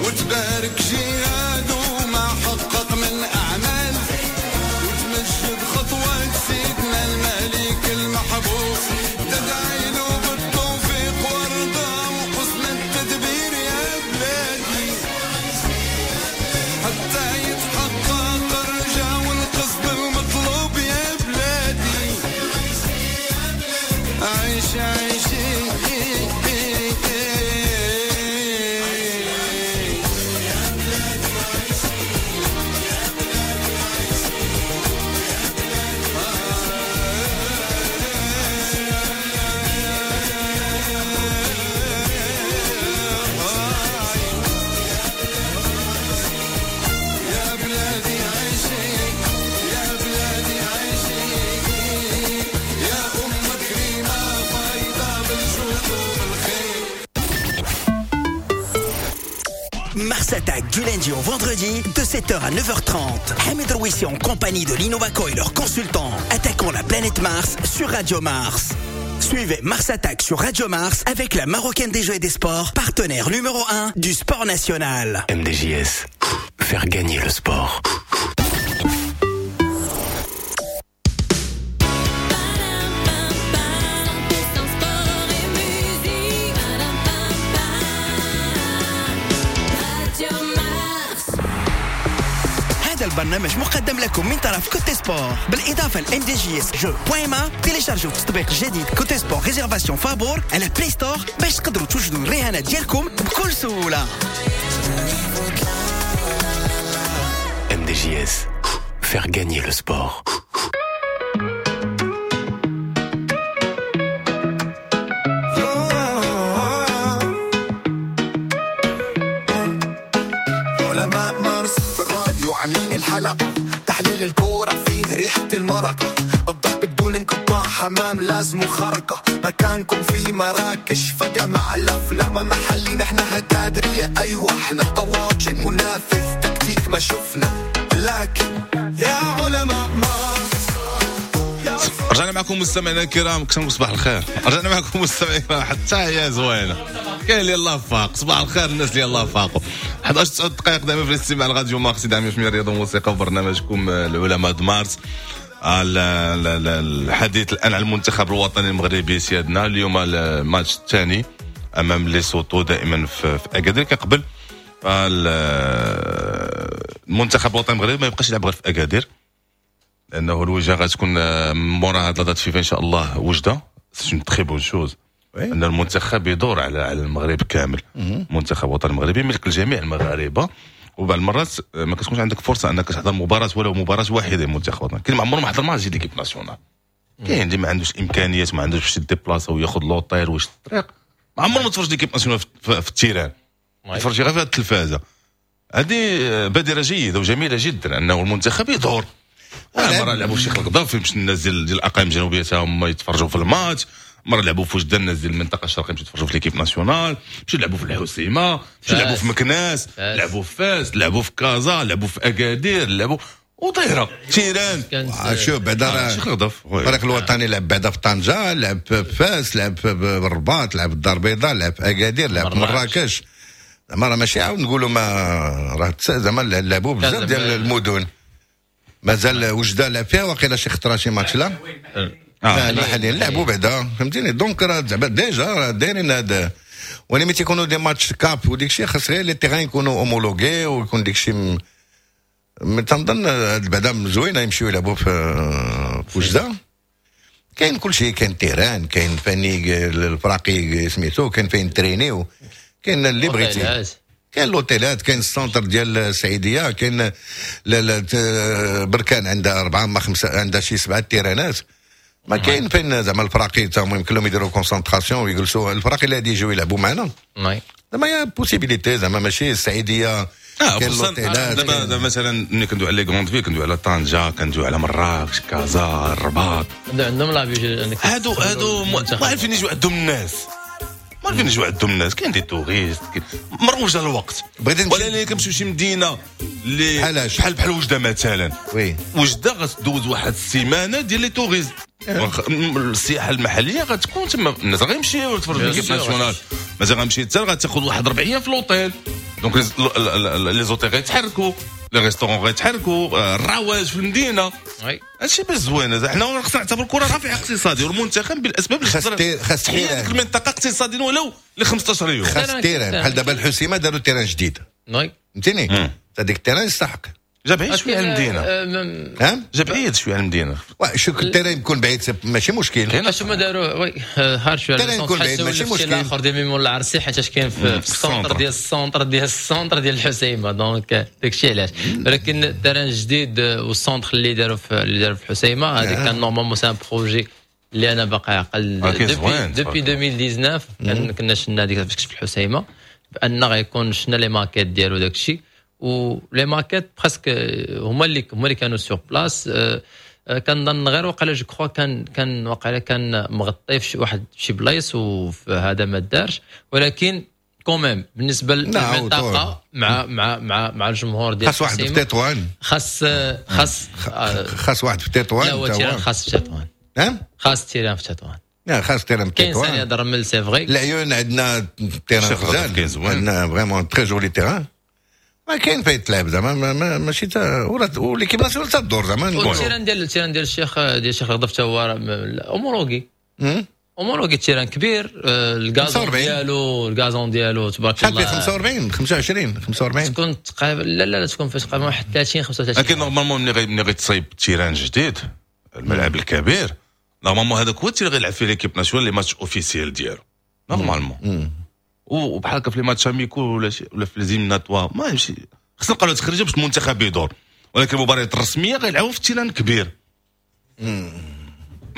وتبارك جهاده وما حقق من أعمال، وتمجد خطوة سيدنا الملك المحبوب، تدعي له بالتوفيق والرضا. Mars Attack du lundi au vendredi de sept heures à neuf heures trente. Hamid Rouissi en compagnie de l'Innovaco et leurs consultants attaquant la planète Mars sur Radio Mars. Suivez Mars Attack sur Radio Mars avec la Marocaine des Jeux et des Sports, partenaire numéro un du sport national. M D J S, faire gagner le sport. البرنامج مقدم لكم من طرف Cote Sport بالإضافة ل إم دي جي إس جو بوين ما. تيليشارجوا التطبيق الجديد Cote Sport réservation فابور على Play Store باش تقدروا توجدوا الرهانات ديالكم بكل سهولة. إم دي جي إس, faire gagner le sport. الحلقة تحليل الكورة فيه ريحة المرقة، الضحك بدون انقطاع، حمام لازم خرقة، مكانكم في مراكش فجأة مع الأفلام محلي، نحن هتادرية أيوة احنا طواجن منافذ تكتيك ما شفنا، لكن يا علماء مارس. رجعنا معكم مستمعينا الكرام، كنقول صباح الخير. رجعنا معكم مستمعينا الكرام، حتى هي زوينة، كاين اللي الله فاق. صباح الخير الناس اللي الله فاقوا. إحدى عشر تسع دقائق دائما في الاستماع لراديو مارس، دائما في الرياضة والموسيقى وبرنامجكم العلماء د مارس. الحديث الان على المنتخب الوطني المغربي سيادنا، اليوم الماتش الثاني امام ليسوتو دائما في اكادير. كقبل المنتخب الوطني المغربي ما يبقاش يلعب غير في اكادير، لانه الوجهة غتكون مورا هاد la date FIFA ان شاء الله وجده. c'est une très bonne chose ان المنتخب يدور على على المغرب كامل. المنتخب الوطني المغربي ملك الجميع المغاربة، وبعض المرات ما كتكونش عندك فرصة انك تحضر مباراة ولو مباراة واحدة للمنتخب الوطني. كاين ما عمره ما حضر ماتش ديال l'équipe nationale، كاين اللي ما عندوش الامكانيات، ما عندوش باش يديبلاصا وياخذ l'hôtel ويشد الطريق، ما عمره ما تفرج l'équipe nationale في ال terrain، يتفرج غير في التلفازه. هذه بادره جيدة وجميلة جدا انه المنتخب يدور. مرة لعبوا في شيخ القذافي باش الناس ديال الاقاليم الجنوبية تا هما يتفرجوا في الماتش، مرة لعبوا في وجده الناس ديال المنطقة الشرقية مشيو يتفرجوا في l'équipe nationale، مشيو لعبوا في الحسيمه، مشيو لعبوا في مكناس، لعبوا في فاس، لعبوا في كازا، لعبوا في اكادير، لعبوا وطيره terrain. شوف بعدا راه الفريق الوطني لعب بعدا في طنجه، لعب في فاس، لعب في الرباط، لعب في الدار البيضاء، لعب في اكادير، لعب في مراكش. زعما راه ماشي عاود نقولوا ما راه زعما لعبوا بزاف ديال المدن. مازال وجده لعب فيها وقيلا شي خطره شي ماتش لا آه المحليين لعبوا بعدا، فهمتيني. donc راه زعما déjà راه دايرين هذا. ولكن ملي تيكونوا des matchs CAF وديك الشيء خاص غير les terrains يكونوا homologués ويكون ديك الشيء. تنظن بعدا زوينة يمشيو يلعبوا في في وجده. كاين كل شيء، كاين terrain، كاين فني الفراقي سميتو، كاين فين ترينيو، كاين اللي بغيتي، كاين لوتيلات، كاين ال centre ديال السعيديه، كاين بركان عندها اربعة ما خمسة، عندها شي سبعة تيرانات. ما كاين فين زعما الفراقي تا هما يمكن لهم يديروا concentration ويجلسوا الفراقي اللي غادي يجيو يلعبوا معنا. زعما y a possibilité، زعما ماشي السعيديه. اه خصوصا دابا دابا مثلا ملي كندوي على les grandes villes كندوي على طنجه، كندوي على مراكش، كازا، الرباط، عندهم لا هادو هادو ما عارفين يجيو عندهم الناس، ما عارفين يجيو عندهم الناس. كاين des touristes مروجه الوقت، ولا كنمشيو شي مدينة اللي بحال بحال وجده مثلا. oui وجده غتدوز واحد السيمانة ديال les touristes، السياحة المحلية غتكون تما، الناس غيمشيو يتفرجوا في l'équipe nationale. مازال غنمشي حتى غتاخذ واحد ربع ايام في l'hôtel، donc les hôtels غيتحركوا، les restaurants غيتحركوا، الرواج في المدينة. هادشي باش زوين. حنا خصنا نعتبر الكره رافع اقتصادي، والمنتخب بالاسباب اللي خاص تحيي ديك المنطقة اقتصاديا ولو ل خمسطاش يوم. خاص terrain بحال دابا الحسيمه داروا terrain جديد، فهمتيني، هذيك ال terrain يستحق. جا بعيد شوية على المدينة. ها جا بعيد شوية على المدينة. شوف ال terrain يكون بعيد ماشي مشكل. اش هما داروا oui هار شوية ال terrain يكون بعيد ماشي مشكل. الاخر ديال ميمون العرسي حيت كاين في ال centre ديال ال centre ديال ال centre ديال الحسيمه، donc داكشي علاش. ولكن ال terrain الجديد وال centre اللي داروا في اللي داروا في الحسيمه هذه كان normalement c'est un projet اللي انا باقي عقل depuis ألفين وتسعطاش كنا شفنا هذيك فاش كنت في الحسيمه بان غيكون شفنا les maquettes ديالو داكشي، و les maquettes presque هما اللي هما اللي كانوا sur place. كنظن غير وقيلا je crois كان كان وقيلا كان مغطي في واحد شي بلايص وهذا ما دارش، ولكن quand même بالنسبة للمنطقة مع مع مع مع الجمهور ديال خاص واحد في تطوان، خاص خاص خاص واحد في تطوان. لا هو terrain خاص في تطوان، نعم خاص terrain في تطوان، لا خاص terrain في تطوان. كاين ثانية درمل c'est vrai. العيون عندنا terrain غزال، عندنا vraiment très joli terrain، ما كاين فين تلعب زعما ماشي تا و l'équipe nationale تدور زعما. ال terrain ديال ال terrain ديال الشيخ ديال الشيخ الغضف حتى هو homologué homologué، terrain كبير، ال gazon ديالو ال gazon ديالو تبارك الله. شحال فيه؟ خمسة وأربعين خمسة وعشرين خمسة وأربعين تكون تقريبا. لا لا لا تكون فاش تقريبا واحد ثلاثين خمسة وثلاثين. لكن normalement ملي ملي غيتصايب terrain جديد الملعب الكبير normalement هذاك هو اللي غيلعب فيه l'équipe nationale les matchs officiels ديالو normalement، وبحال هكا في les matchs amicaux ولا شي ولا في les éliminatoires ما يمشي، خصنا نلقاو تخرجه باش المنتخب يدور، ولكن المباريات الرسمية غيلعبوا في terrain كبير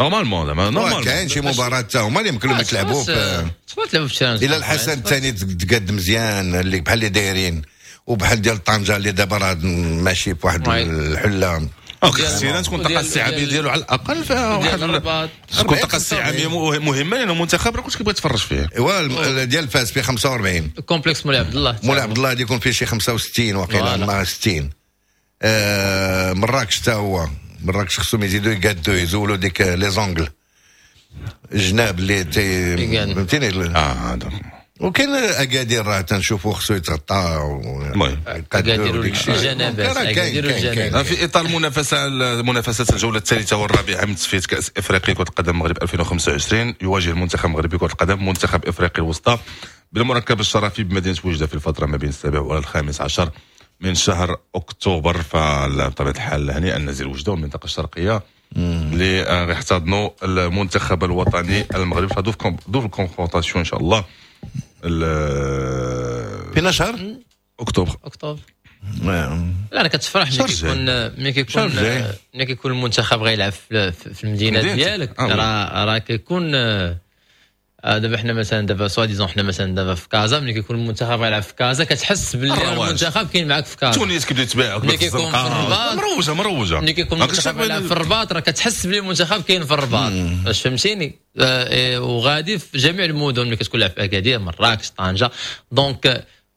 normalement زعما normalement. كاين شي مباراة حتى هما اللي يمكن لهم يتلعبوا في تقدر تلعبوا في terrain. الى الحسن الثاني تقاد مزيان اللي بحال اللي دايرين، وبحال ديال طنجه اللي دابا راه ماشي في واحد الحلة. خص ال terrain تكون الطاقة الاستيعابيه ديالو على الاقل فيها واحد تكون الطاقة الاستيعابيه مهمة، لان المنتخب راه كلشي كيبغي يتفرج فيه. ايوا ديال فاس فيه خمسة وأربعين، complexe مولاي عبد الله، مولاي عبد الله يكون فيه شي خمسة وستين وقيلا مع ستين. آه مراكش حتى هو مراكش خصهم يزيدوا يقادوا يزولوا ديك les angles الجناب اللي تي فهمتيني. اه هذا وكاين اكادير راه تنشوفوا خصو يتغطى. المهم اكادير الجنابات، اكادير الجنابات. في اطار المنافسة منافسه الجولة الثالثة والرابعة من تصفية كاس افريقيا كره القدم المغرب ألفين وخمسة وعشرين، يواجه المنتخب المغربي كره القدم منتخب افريقيا الوسطى بالمركب الشرفي بمدينة وجده في الفترة ما بين السابع والخامس عشر من شهر اكتوبر. فبطبيعه الحال هنيئا نزيل وجده والمنطقة الشرقية اللي غيحتضنوا المنتخب الوطني المغربي في double confrontation ان شاء الله فينا شهر اكتوبر. اكتوبر لا انا كتفرح ملي كيكون ملي كيكون ملي كيكون المنتخب غيلعب في المدينة ديالك، راه راه كيكون دابا حنا مثلا دابا soi-disant حنا مثلا دابا في كازا ملي كيكون المنتخب غيلعب في كازا كتحس باللي المنتخب كاين معاك في كازا. تونس كيبدا يتباع ملي كيكون في الرباط مروجه مروجه، ملي كيكون المنتخب غيلعب في الرباط راه كتحس باللي المنتخب كاين في الرباط، واش فهمتيني؟ وغادي في جميع المدن ملي كتكون لعب في اكادير مراكش طنجه. donc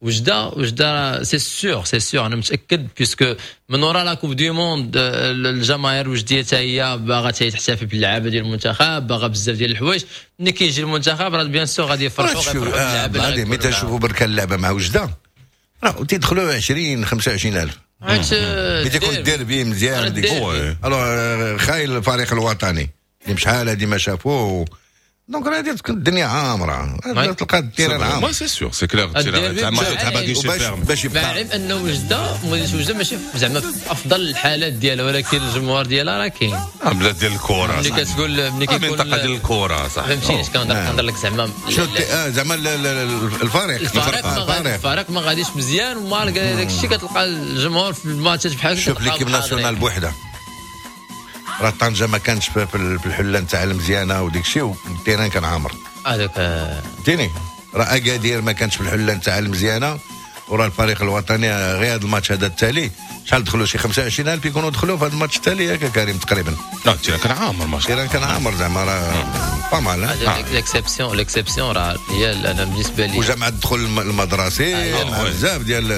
وجده وجده c'est sûr c'est sûr انا متاكد puisque من ورا la Coupe du Monde الجماهير الوجديه حتى هي باغا تحتفل باللعابه ديال المنتخب، باغا بزاف ديال الحوايج. ملي كيجي المنتخب راه bien sûr غادي يفرحوا غيفرحوا باللعابه. ملي تشوفوا بركان اللعبة مع وجده راه تيدخلوا عشرين خمسة وعشرين ألف ملي تيكون الديربي مزيان ديك alors خايل الفريق الوطني اللي شحال هادي ما شافوه، donc راه تكون الدنيا عامرة، تلقى ال terrain عامر. mais c'est sûr c'est clair ال terrain تاع باش يبقى. مع العلم انه وجده مدينة وجده ماشي زعما في افضل الحالات ديالها، ولكن الجمهور ديالها راه كاين. بلاد ديال الكره ملي كتقول ملي كيكون منطقة ديال الكره صح، فهمتيني اش كنهضر لك زعما شنو زعما الفريق الفريق ما غاديش مزيان و malgré داك الشيء كتلقى الجمهور في الماتشات بحال هكا. شوف l'équipe nationale بوحده راه طنجه ما كانش في الحلة نتاع المزيانه وديك الشيء وال terrain كان عامر هذاك فهمتيني. راه اكادير ما كانش في الحلة نتاع المزيانه، وراه الفريق الوطني غير هذا الماتش هذا التالي شحال دخلوا شي خمسة وعشرين ألف يكونوا دخلوا في هذا الماتش التالي ياك كريم تقريبا. لا ال terrain كان عامر ماشي ال terrain كان عامر زعما راه pas mal. l'exception l'exception راه هي انا بالنسبة لي وجا مع الدخول المدرسي مع بزاف ديال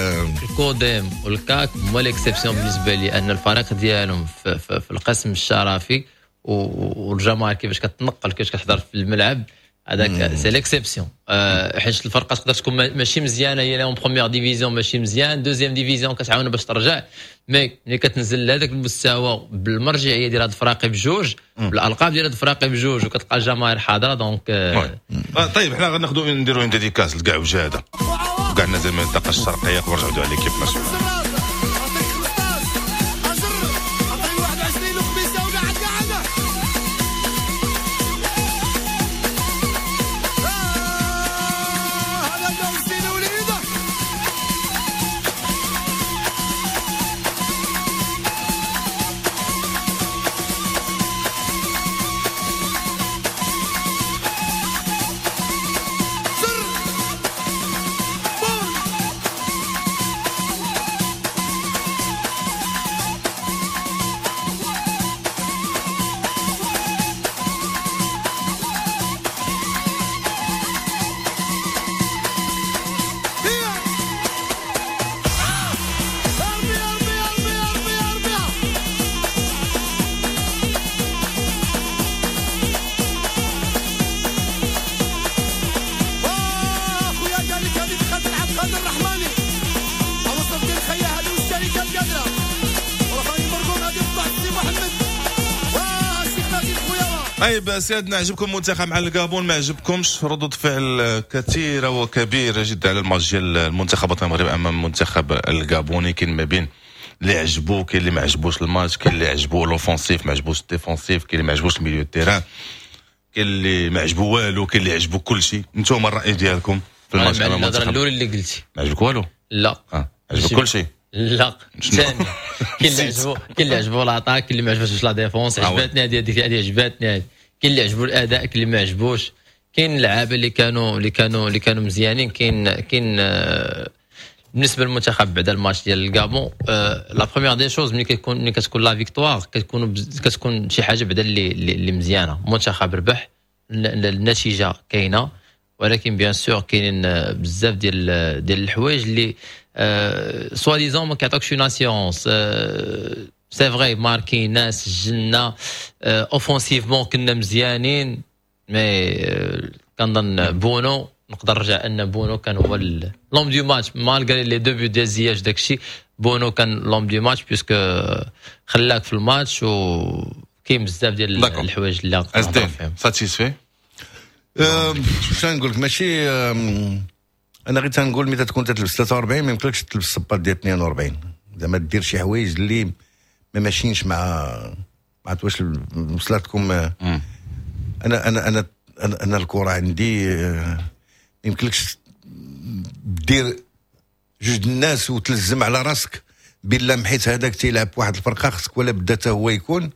الكوديم والكاك هما l'exception بالنسبة لي، ان الفريق ديالهم في, في, في القسم الشرفي والجماهير كيفاش كتنقل كيفاش كتحضر في الملعب هذاك c'est l'exception. حيت الفرقة تقدر تكون ماشي مزيانه هي en première division ماشي مزيان، deuxième division كتعاون باش ترجع، mais ملي كتنزل لهذاك المستوى بالمرجعيه ديال هاد الفراقي بجوج بالالقاب ديال هاد الفراقي بجوج وكتلقى الجماهير حاضره donc. طيب حنا غناخذوا نديروا dédicace لكاع وجاده وكاع الناس ديال المنطقة الشرقية ونرجعوا على l'équipe nationale. طيب سيادنا، عجبكم المنتخب مع الكابون؟ ما عجبكمش؟ ردود فعل كثيرة وكبيره جدا على الماتش ديال المنتخب الوطني المغربي امام المنتخب الكابوني. كاين ما بين اللي عجبو، كاين اللي ما عجبوش الماتش، كاين اللي عجبو l'offensif ما عجبوش ال défensif، كاين اللي ما عجبوش ال milieu terrain، كاين اللي ما عجبو والو، كاين اللي عجبو كل شيء. انتم الراي ديالكم في الماتش امام المنتخب؟ الاولى اللي قلتي. ما عجبك والو؟ لا. آه. عجبك كل شيء؟ لا، ثاني كاين اللي عجبو، كاين اللي عجبو l'attaque، كاين اللي ما عجبوش la défense. عجبتني هذه، هذه عجبتني هذه. كاين اللي عجبو الاداء، كاين اللي ما عجبوش. كاين اللعابه اللي كانوا اللي كانوا اللي كانوا مزيانين. كاين كاين آه، بالنسبة للمنتخب بعد الماتش ديال الكابون، la première des choses ملي كيكون ملي كتكون la victoire كتكون كتكون شي حاجة بعدا اللي اللي مزيانه. المنتخب ربح، النتيجة كاينه، ولكن bien sûr كاينين بزاف ديال ديال الحوايج اللي soi-disant ما كيعطوكش une assurance. c'est vrai ماركينا، سجلنا، offensivement كنا مزيانين، mais كنظن بونو، نقدر نرجع ان بونو كان هو l'homme du match malgré les deux buts ديال زياش. داكشي بونو كان l'homme du match puisque خلاك في الماتش، وكاين بزاف ديال الحوايج اللي نقدر فيهم. satisfait؟ شنو نقول لك؟ ماشي انا غير تنقول ملي تكون تلبس ثلاثة وأربعين ما يمكنلكش تلبس الصباط ديال اثنين وأربعين، زعما دير شي حوايج اللي ما ماشيينش مع ما عرفت واش وصلتكم. انا انا انا انا, أنا الكره عندي ما يمكنلكش دير جوج الناس وتلزم على راسك بلا حيت هذاك تيلعب واحد الفرقة خصك ولا بدا حتى هو يكون،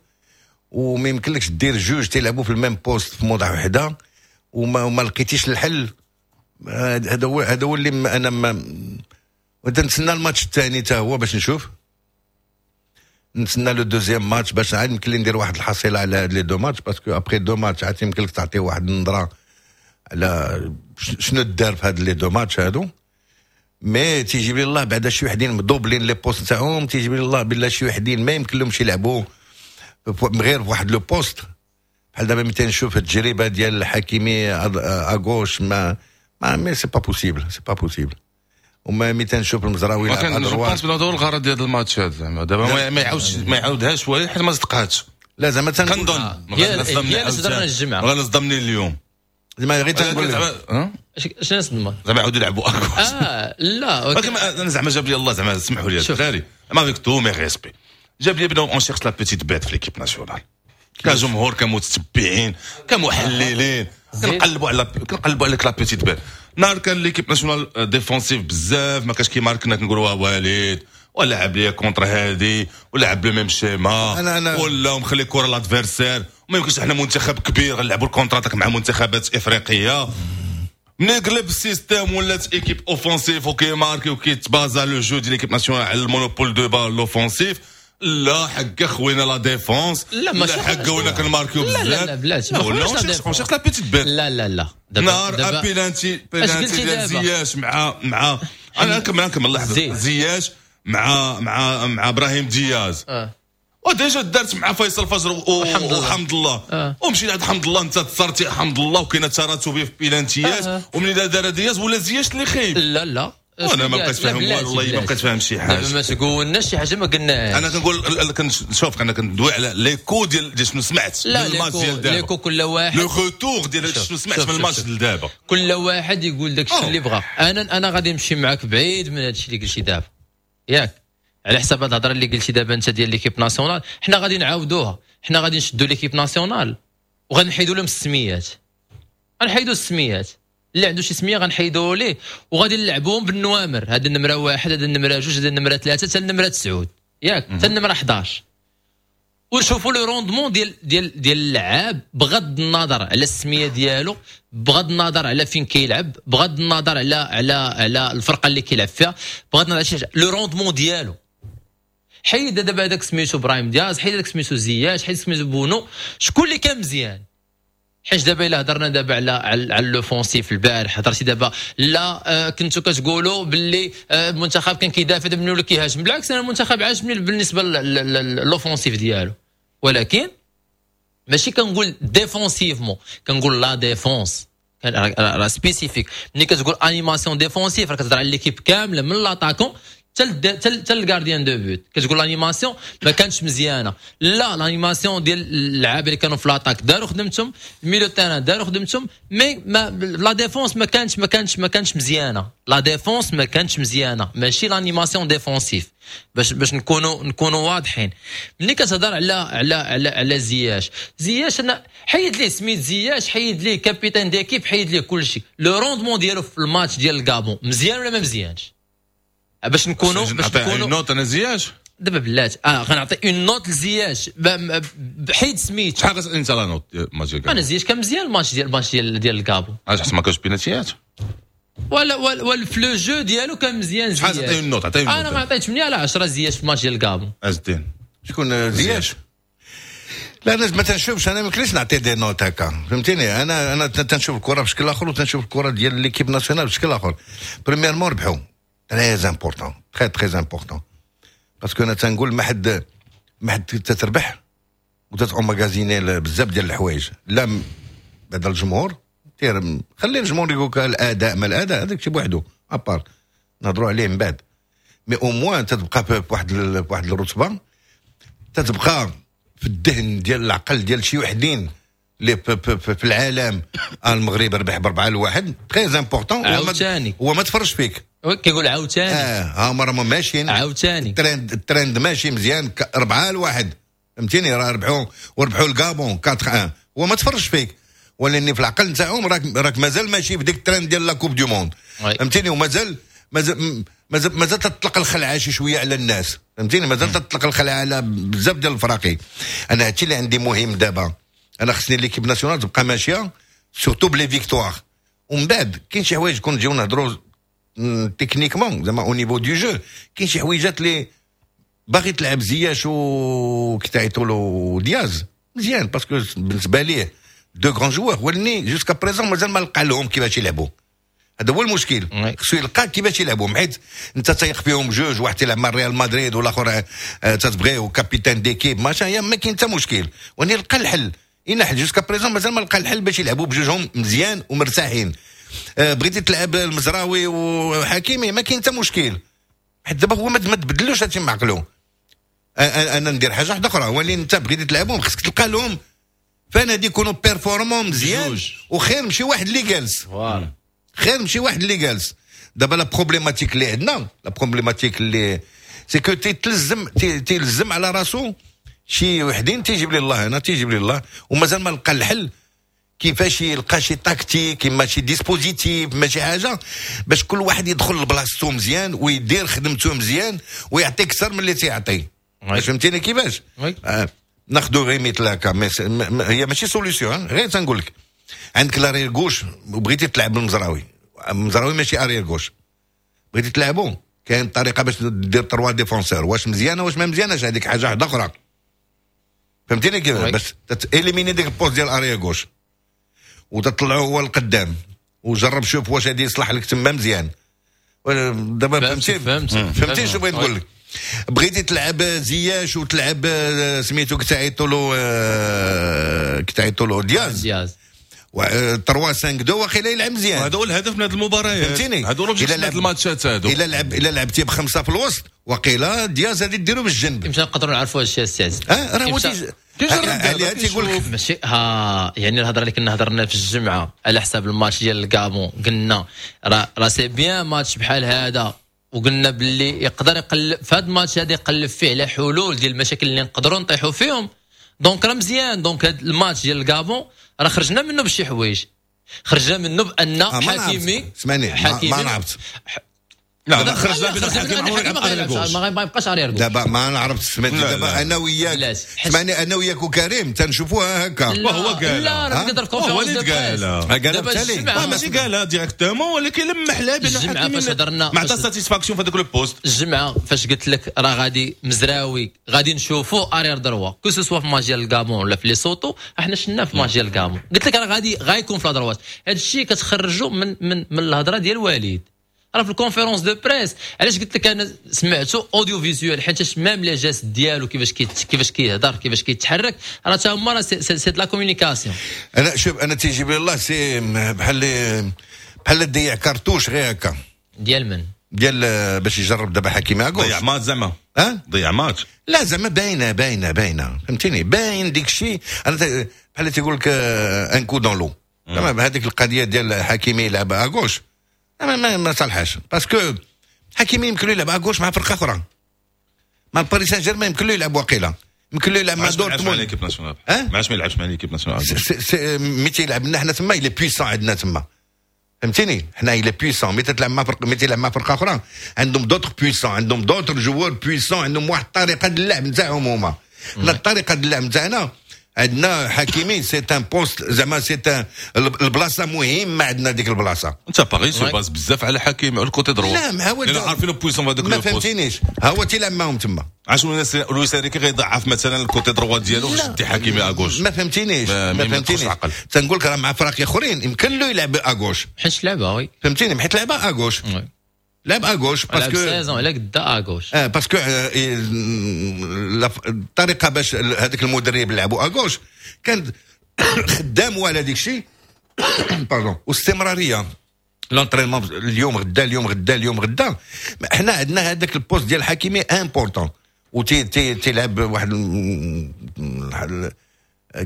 وما يمكنلكش دير جوج تيلعبوا في ال même poste في موضع وحده وما, وما لقيتيش الحل. هذا هو هذا هو اللي انا ما نتسنى الماتش الثاني حتى هو باش نشوف، نتسنى le deuxième match باش عاد يمكن لي ندير واحد الحصيلة على هاد les deux matchs، parce que après deux matchs عاد يمكن لك تعطي واحد النظرة على شنو دار في هاد les deux matchs هادو. mais تيجيب لي الله بعدا شي وحدين مدوبلين les postes تاعهم، تيجيب لي الله بالله شي وحدين ما يمكن لهمش يلعبوا غير في واحد le poste. بحال دابا ملي تنشوف التجربة ديال حكيمي à gauche، ما ما mais c'est pas possible، c'est pas possible. وما ملي تنشوف المزراوي يلعب à droite. هذا هو الغرض ديال الماتش هذا، زعما دابا ما يعاودش ما يعاودهاش والو حيت ما صدقاتش. لا، زعما كنظن هي هي الجمعه. غنصدمني اليوم. زعما غير تنقول شنو صدمه؟ زعما يعاودوا يلعبوا à gauche. اه لا. ولكن انا زعما جاب لي الله، زعما سمحوا لي الدراري، avec tous mes respects، جاب لي بدا on cherche la petite bête في l'équipe nationale، كجمهور، كمتتبعين، كمحللين، كنقلبوا على كنقلبوا على la petite bête. نهار كان l'équipe nationale défensive بزاف ما كاش كيمارك، كنا كنقولوا وليد ولعب ليا contre هادي ولعب le même schéma أنا أنا ولا مخلي كره l'adversaire. ما يمكنش احنا منتخب كبير غنلعبوا ال contre-attaque مع منتخبات افريقيه. ملي قلب ال système ولات équipe offensive وكيماركي وكيتبازا le jeu ديال l'équipe nationale على ال monopole de balle l'offensif، لا حق خوينا la défense. لا، ماشي حق ولا كنماركيو بزاف. لا لا، بلاتي. لا، on cherche la petite bête. لا لا لا. نهار penalty penalty ديال زياش مع مع انا نكمل نكمل لحظه، زياش مع مع مع ابراهيم دياز آه. و déjà دارت مع فيصل فجر وحمد الله، وحمد الله آه. ومشينا عند حمد الله، انت تصرتي حمد الله وكاينه تراتبية في بيلانتيات آه. وملي دار دياز ولا زياش اللي خايب. لا لا. وانا ما بقيت فاهم والو، والله ما بقيت فاهم شي حاجه. دابا ما تقولناش شي حاجة ما قلناهاش. انا كنقول كنشوف، انا كندوي على l'écho ديال ديال شنو سمعت. لا، الماتش ديال دابا، l'écho كل واحد le retour ديال شنو سمعت من الماتش ديال دابا. كل واحد يقول داك الشيء اللي بغى. انا انا غادي نمشي معاك بعيد من هذا الشيء اللي قلتي دابا، ياك؟ على حساب هاد الهضرة اللي قلتي دابا انت ديال l'équipe nationale، حنا غادي نعاودوها. حنا غادي نشدوا l'équipe nationale وغنحيدوا لهم السميات، غنحيدوا السميات، اللي عنده شي سميه غنحيدوه ليه، وغادي نلعبوهم بالنوامر، هذا النمرة واحد، هذا النمرة جوج، هذا النمرة ثلاثه، حتى النمرة تسعود، ياك؟ حتى النمرة حداش، ونشوفوا le rendement ديال ديال ديال اللعاب بغض النظر على السمية ديالو، بغض النظر على فين كيلعب، بغض النظر على على على الفرقة اللي كيلعب فيها، بغض النظر على شي حاجه، le rendement ديالو. حيد دابا هذاك سميتو ابراهيم دياز، حيد هذاك سميتو زياش، حيد سميتو بونو، شكون اللي كان مزيان؟ حيت دابا الا هضرنا دابا على على, على l'offensif البارح، هضرتي دابا لا آه كنتو كتقولوا باللي آه المنتخب كان كيدافع، دابا ولا كيهاجم. بالعكس، انا المنتخب عاجبني بالنسبة l'offensif ديالو، ولكن ماشي كنقول défensivement، كنقول la défense راه spécifique. ملي كتقول animation défensive راه كتهضر على l'équipe كاملة من l'attaquant حتى حتى حتى ال gardien de but. كتقول l'animation ما كانتش مزيانه، لا، l'animation ديال اللعابه اللي كانوا في l'attaque داروا خدمتهم، ال milieu terrain داروا خدمتهم، mais ما la défense ما كانتش ما كانتش ما كانتش مزيانه. la défense ما كانتش مزيانه، ماشي l'animation défensive، باش باش نكونوا نكونوا واضحين. ملي كتهضر على على على على زياش، زياش انا حيد ليه سميت زياش، حيد ليه capitaine d'équipe، حيد ليه كل شيء. le rendement ديالو في الماتش ديال الكابون مزيان ولا ما مزيانش؟ باش نكونوا باش نكونوا note انا زياش. دابا بلات اه غنعطي une note لزياش بحيد سميت. شحال انت la note ماتش؟ انا زياش كان مزيان الماتش ديال الماتش ديال ديال الكابون. علاش؟ حسن ما كانش بيناتيات. ولا ولا ولا في le jeu ديالو كان مزيان. شحال تعطي une note؟ عطية. انا ما عطيت ثمانية على عشرة زياش في الماتش ديال الكابون. عز الدين. شكون زياش؟ لا، انا ما تنشوفش، انا ما يمكنليش نعطي des notes هكا، فهمتيني؟ انا انا تنشوف الكره بشكل اخر وتنشوف الكره ديال l'équipe nationale بشكل اخر. premièrement ربحوا، très important، très très important، parce que انا تنقول ما حد ما حد تتربح وتت emmagasiner بزاف ديال الحوايج. لا، بعد الجمهور خلي الجمهور يقول الاداء ما الاداء، هذاك شي بوحدو à part، نهضروا عليه من بعد، mais au moins تتبقى بواحد بواحد الرتبه، تتبقى في الذهن ديال العقل ديال شي وحدين اللي في العالم، المغرب ربح بأربعة لواحد، très important. عاوتاني. هو ما تفرج فيك. كيقول عاوتاني. اه ها هما راهم ماشيين. عاوتاني. ال trend ال trend ماشي مزيان، أربعة لواحد، فهمتيني؟ راه ربحوا وربحوا الكابون أربعة واحد. هو ما تفرج فيك، ولاني في العقل نتاعهم راك راك مازال ماشي في ديك الترند ديال la Coupe du monde، فهمتيني؟ ومازال مازال مازال مازال تطلق الخلعة شي شوية على الناس، فهمتيني؟ مازال تطلق الخلعة على بزاف ديال الفراقي. انا هادشي اللي عندي مهم دابا، انا خصني l'équipe nationale تبقى ماشية surtout ب les victoires، ومن بعد كاين شي حوايج كون نجيو نهضروا techniquement، زعما au niveau du jeu كاين شي حويجات اللي باغي تلعب زياش و كي له دياز مزيان، parce que بالنسبة ليه deux grands joueurs، ولني jusqu'à présent مازال ما لقى لهم كيفاش يلعبوا. هذا هو المشكل، خصو يلقى كيفاش يلعبوا، حيت انت تايق فيهم جوج، واحد تيلعب مع ريال مدريد والاخر آه، تتبغيه و capitaine d'équipe، ماشي ما كاين حتى مشكل، وني لقى الحل إن حل jusqu'à présent مازال ما لقى الحل باش يلعبوا بجوجهم مزيان ومرتاحين. آه، بغيتي تلعب المزراوي وحكيمي، ما كاين حتى مشكل، حيت دابا هو ما تبدلوش هادشي مع عقلو. انا ندير حاجة واحدة اخرى، ولكن انت بغيتي تلعبهم خصك تلقى لهم فنادي يكونوا performants مزيان، وخير مشي واحد اللي جالس، voilà، خير مشي واحد اللي جالس. دابا la problématique اللي عندنا، la problématique اللي c'est que تيتلزم تيلزم على راسو شي وحدين، تيجيب لي الله، انا تيجيب لي الله ومازال ما لقى الحل كيفاش يلقى شي تكتيك، اما شي dispositif، ما شي حاجة باش كل واحد يدخل لبلاصتو مزيان ويدير خدمته مزيان ويعطي اكثر من اللي تيعطي، فهمتيني كيفاش؟ آه ناخذ غير مثل هكا، هي ماشي solution، غير تنقول لك عندك l'arrière gauche وبغيتي تلعب بالمزراوي، المزراوي ماشي arrière gauche، بغيتي تلعبو كاين طريقه باش دير trois défenseurs، واش مزيانه واش ما مزياناش هذيك حاجة واحدة اخرى، فهمتيني كيف؟ باش éliminer ديك ال poste ديال arrière gauche وتطلعو هو القدام وجرب شوف واش هادي يصلح لك تما مزيان. دابا فهمتي؟ فهمت. فهمتي شنو بغيت نقول لك؟ بغيتي تلعب زياش وتلعب آه، سميتو كتعيطوا له آه، كتعيطوا له دياز. دياز. ثلاثة خمسة اثنين واخيلا يلعب مزيان. هذا هو الهدف من هذه المباريات. فهمتيني؟ هذا هو إلا لعب الماتشات هادو. الا لعب الا لعبتي بخمسة في الوسط وقيلا دياز غادي ديرو بالجنب. امتى نقدروا نعرفوا هذا الشيء السي عزيز؟ اه راه هو عليها تيقول لك ماشي ها يعني الهضرة اللي كنا هضرنا في الجمعة على حساب الماتش ديال الكابون، قلنا راه راه c'est bien match بحال هذا، وقلنا باللي يقدر يقلب في هذا الماتش هذا، يقلب فيه على حلول ديال المشاكل اللي نقدروا نطيحوا فيهم، donc راه مزيان. donc هذا الماتش ديال الكابون راه خرجنا منه بشي حوايج، خرجنا منه بان آه حكيمي اسمعني، حكيمي ما نعرفت. لا، خرجنا بان حكيمي ما يبقاش arrière gauche. دابا ما نعرفت، سمعتي؟ دابا انا وياك، سمعني، انا وياك وكريم تنشوفوها هكا. وهو قال لا، راه كيهضر في هو اللي قال قالها. ماشي قالها directement، ولكن لمح لها بان الجمعة فاش هضرنا ما عطى satisfaction في هذاك le poste. الجمعة فاش قلت لك راه غادي مزراوي غادي نشوفوا arrière droit، que ce soit في ماتش ديال الكابون ولا في ليسوتو، احنا شفنا في ماتش ديال الكابون، قلت لك راه غادي غيكون في la droite. هذا الشيء كتخرجوا من من من الهضرة ديال وليد راه في ال conférence de presse. علاش قلت لك انا سمعته audiovisuel؟ حيت même les gestes ديالو، كيفاش كيفاش كيهضر، كيفاش كيتحرك، راه تا هما راه c'est la communication. انا شوف، انا تيجيب لي الله c'est بحال بحال تضيع كارتوش غير هكا. ديال من؟ ديال باش يجرب دابا حكيمي à gauche. ضيع ماتش زعما ها ضيع ماتش لا زعما باينة باينة باينة فهمتيني، باين ديك الشيء. انا بحال تيقول لك un coup dans l'eau زعما هذيك القضية ديال حكيمي يلعب à gauche ما ما, ما صالحاش، parce que حكيمي يمكن له يلعب à gauche مع فرقه اخرى، مع باريس سان جيرمان يمكن له يلعب واقيلا، يمكن له يلعب مع دورتموند. ما عادش ما يلعبش مع l'équipe nationale. ملي تيلعب لنا حنا تما il est puissant عندنا تما فهمتيني، حنا il est puissant. ملي تلعب مع فرق، ملي تلعب مع فرقه اخرى عندهم d'autres puissants، عندهم d'autres joueurs puissants، عندهم واحد الطريقة ديال اللعب نتاعهم هما. حنا الطريقة ديال اللعب نتاعنا عندنا حكيمي c'est un poste زعما c'est un البلاصة مهمة عندنا ديك البلاصة. انت باغي se base بزاف على حكيمي على ال côté droit. لا ما هو عارفين puissant هذاك. ما فهمتينيش، هو تيلعب معاهم تما. علاش لويس انريكي غيضعف مثلا ال côté droit ديالو باش يدي حكيمي à gauche؟ ما فهمتينيش ما فهمتينيش. تنقول لك راه مع فرق اخرين يمكن له يلعب à gauche حيت لعبها oui فهمتيني، حيت لعبها à gauche، لعب à gauche parce que saison على قدا à gauche اه parce que الطريقة باش هذاك المدرب لعبوا à gauche كان خدام على ديك الشيء pardon، واستمراريه l'entraînement اليوم غدا اليوم غدا اليوم غدا. حنا عندنا هذاك ال poste ديال حكيمي important وتي تي تيلعب واحد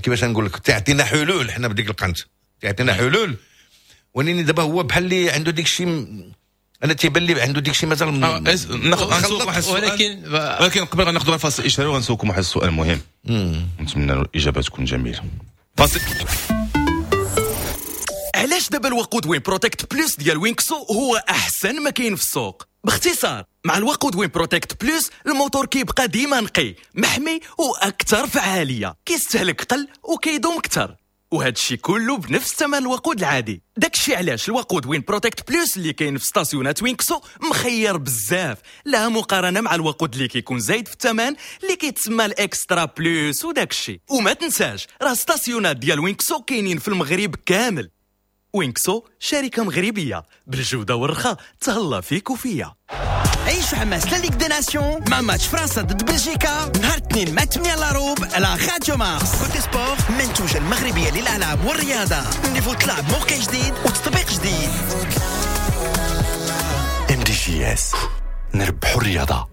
كيفاش نقول لك تعطينا حلول حنا بديك القنت تعطينا حلول. ولكن دابا هو بحال اللي عنده ديك الشيء، انا تيبان لي عنده ديك الشيء مازال ناخذ واحد السؤال، ولكن ولكن قبل غناخذ فاصل اشهاري وغنسولكم واحد السؤال مهم، نتمنى الاجابة تكون جميلة. فاصل. علاش دابا الوقود وين بروتكت بلس ديال وينكسو هو احسن ما كاين في السوق؟ باختصار مع الوقود وين بروتكت بلس الموتور كيبقى ديما نقي محمي واكثر فعالية، كيستهلك قل وكيدوم اكثر، وهذا الشيء كله بنفس ثمن الوقود العادي. داكشي علاش الوقود وين بروتكت بلس اللي كاين في ستاسيونات وينكسو مخير بزاف، لا مقارنة مع الوقود اللي كيكون زايد في الثمن اللي كيتسمى ال extra plus وداكشي. وما تنساش راه ستاسيونات ديال وينكسو كاينين في المغرب كامل. وينكسو شركة مغربية بالجودة والرخاء، تهلا فيك وفيا. عيشوا حماس la Ligue des Nations مع ماتش فرنسا ضد بلجيكا نهار الاثنين مع ثمانية لاروب على راديو مارس. كوتي سبور منتوجة المغربية للألعاب والرياضة، niveau طلع بموقع جديد وتطبيق جديد. ام دي جي اس نربحوا الرياضة.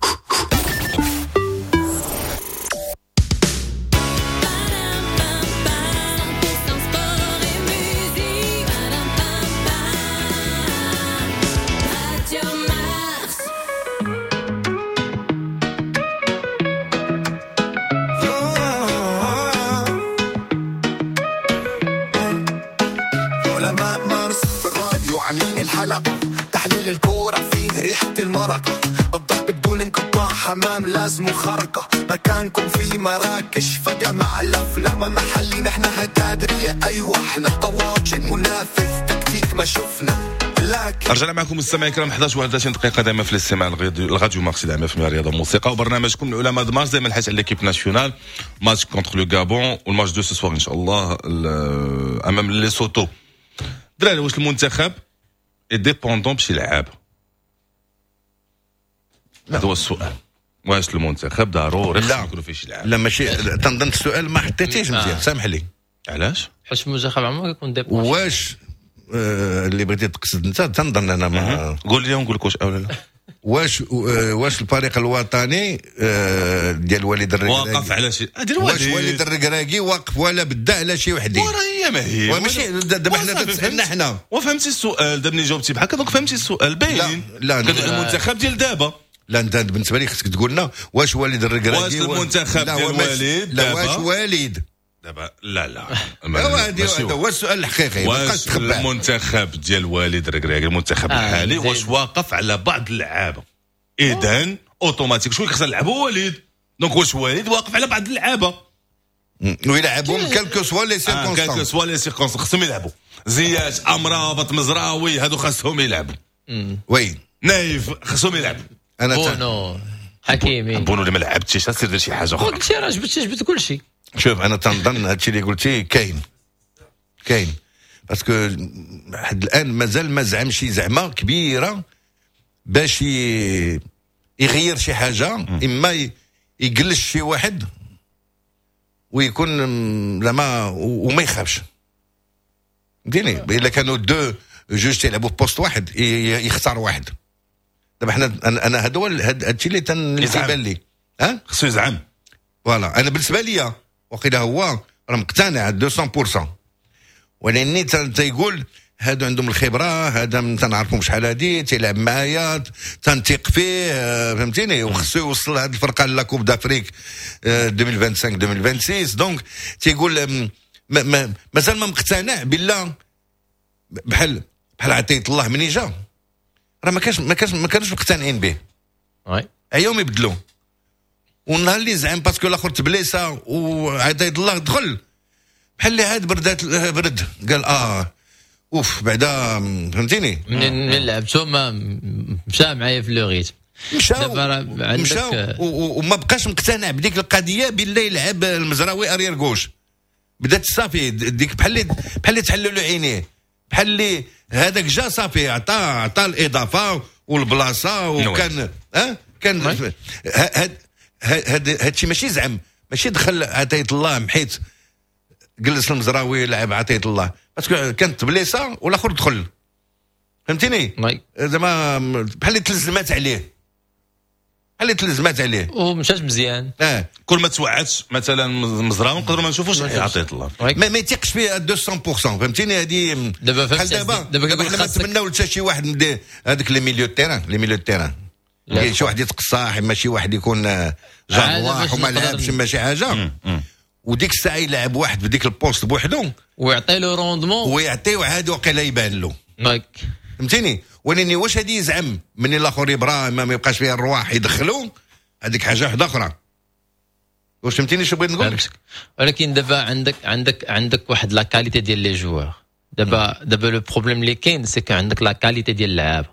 تحليل الكورة فيه ريحة المرق، الضرب بدون انقطاع حمام لازم خرقة، مكانكم في مراكش فجأة مع الأفلام محلي نحن هتادرية. أيوة احنا الطواجن منافس تكتيك ما شفنا. رجعنا معكم مستمعي الكرام إحدى عشر وواحد وثلاثين دقيقة دائما في الاستماع الراديو مارس دائما في الرياضة والموسيقى وبرنامجكم العلماء د مارس دائما الحديث على l'équipe nationale match contre le Gabon وال match de ce soir ان شاء الله امام ليسوتو. دراري واش المنتخب dépendant بشي لعاب؟ هذا هو السؤال. واش المنتخب ضروري خصو يكونوا فيه شي لعاب؟ لا ماشي، تنظن السؤال ما حطيتيش مزيان، سامح لي. علاش؟ حيت المنتخب عمره كيكون dépendant. واش آه اللي بغيتي تقصد انت تنظن انا ما قول لي ونقول لك واش او لا. واش واش الفريق الوطني ديال وليد الركراكي واقف على شي واش وليد الركراكي واقف ولا بدا على شي وحدين؟ وراه هي ما هي وماشي دابا حنا تسالنا حنا وفهمتي السؤال دابا ملي جاوبتي بحال هكا donc فهمتي السؤال باين. لا لا المنتخب ديال دابا لا انت بالنسبة لي خصك تقول لنا واش وليد الركراكي واش المنتخب ديال وليد لا واش وليد دابا لا لا هذا هو السؤال الحقيقي. واش المنتخب ديال وليد الركراكي المنتخب آه الحالي واش واقف على بعض اللعابه؟ اذا اوتوماتيك شكون خصنا نلعبوا وليد، donc واش وليد واقف على بعض اللعابه ويلعبهم quelles que soient les circonstances، quelles que soient les circonstances خصهم يلعبوا. زياش، امرابط، مزراوي، هادو خاصهم يلعبوا. oui نايف خصهم يلعبوا. انا بونو حكيمي بونو اللي ما لعبتيش سير دير شي حاجة اخرى. قلت راه جبت جبت كل شيء. شوف انا تنظن هادشي اللي قلتي كاين كاين parce que لحد الان مازال ما زعم شي زعمه كبيرة باش يغير شي حاجة، اما يجلس شي واحد ويكون زعما وما يخافش. فهمتيني؟ الا كانوا deux جوج تيلعبوا في poste واحد يختار واحد. دابا حنا انا هذا هو هذا الشيء اللي تيبان لي. ها خصو يزعم voilà. انا بالنسبة لي وقيلا هو راه مقتنع مية بالمية، ولاني تيقول هادو عندهم الخبرة، هذا تنعرفهم شحال هادي تيلعب معايا تنثق فيه، فهمتيني؟ وخصو يوصل هاد الفرقة la Coupe d'Afrique ألفين وخمسة وعشرين ألفين وستة وعشرين. donc تيقول مازال ما مقتنع بالله. بحال بحال عطية الله مني جا راه ما كانش ما كانش ما كانوش مقتنعين به، عياهم يبدلوا. والنهار اللي زعم parce que الاخر تبليسا وعطية الله دخل بحال اللي عاد بردات برد، قال اه اوف بعدا، فهمتيني؟ من لعبتو ما مشى معايا في le rythme، مشاو مشاو وما بقاش مقتنع بديك القضية بالله يلعب المزراوي arrière gauche. بدات صافي ديك بحال اللي بحال اللي تحلوا له عينيه، بحال اللي هذاك جا صافي عطى عطى الاضافة والبلاصه وكان ها كان هاد هاد هادشي ماشي زعم، ماشي دخل عطية الله محيت جلس المزراوي لعب عطية الله parce que كانت بليصه والاخر دخل، فهمتيني؟ زعما بحال اللي تلزمات عليه، بحال اللي تلزمات عليه ومشات مزيان. اه كل ما توعدش مثلا مزراوي نقدروا ما نشوفوش عطية الله، ما, ما يثيقش فيه مية بالمية، فهمتيني؟ هذه دابا بحال دابا دابا حنا ما نتمناو حتى شي واحد هذاك les milieux terrain، les milieux terrain شي واحد يتقصاح، ما شي واحد يكون جارواح وما لعبش ما شي حاجة، وديك الساعة يلعب واحد بديك ال poste بوحدو ويعطي له rendement ويعطيه عاد وقيلا يبان له، فهمتيني؟ ولكن واش هادي يزعم من الاخر يبرا ما يبقاش فيها الرواح يدخلو هذيك حاجة واحدة اخرى. واش فهمتيني شنو بغيت نقول لك؟ ولكن دابا عندك عندك عندك واحد la qualité ديال les joueurs. دابا دابا le problème اللي كاين c'est que عندك la qualité ديال اللعابه.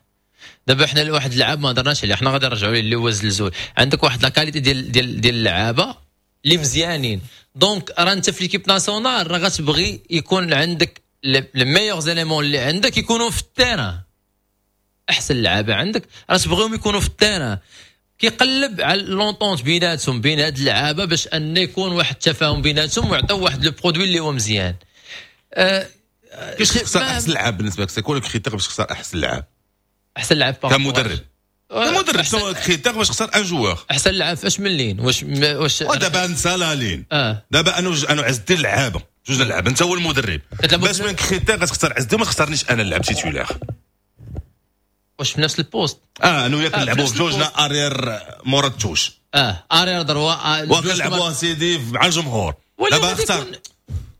دابا حنا واحد اللعاب ما هضرناش عليه، حنا غادي نرجعوا ليه اللي هو الزلزول. عندك واحد la qualité ديال ديال ديال اللعابه اللي مزيانين، donc راه انت في l'équipe nationale راه غتبغي يكون عندك les meilleurs éléments اللي عندك يكونوا في ال terrain، احسن لعابه عندك راه تبغيهم يكونوا في ال terrain. كيقلب على l'entente بيناتهم بين هاد اللعابه باش ان يكون واحد التفاهم بيناتهم ويعطيو واحد le produit اللي هو مزيان. أه كيفاش تختار احسن لعاب بالنسبة لك؟ c'est quoi le critère باش تختار احسن لعاب؟ احسن لعاب كمدرب كمدرب شنو ال critère باش تختار un joueur؟ احسن لعاب فاش من ligne؟ واش واش دابا انت la ligne. آه. دابا انا انا عز الدين لعابه جوج لعابه، انت هو المدرب، باش من critère غتختار عز الدين ما تختارنيش انا نلعب titulaire. واش في نفس ال poste؟ اه انا وياك نلعبوا بجوجنا arrière مورا ال touche، اه arrière droit وكنلعبوا سيدي مع الجمهور. دابا اختار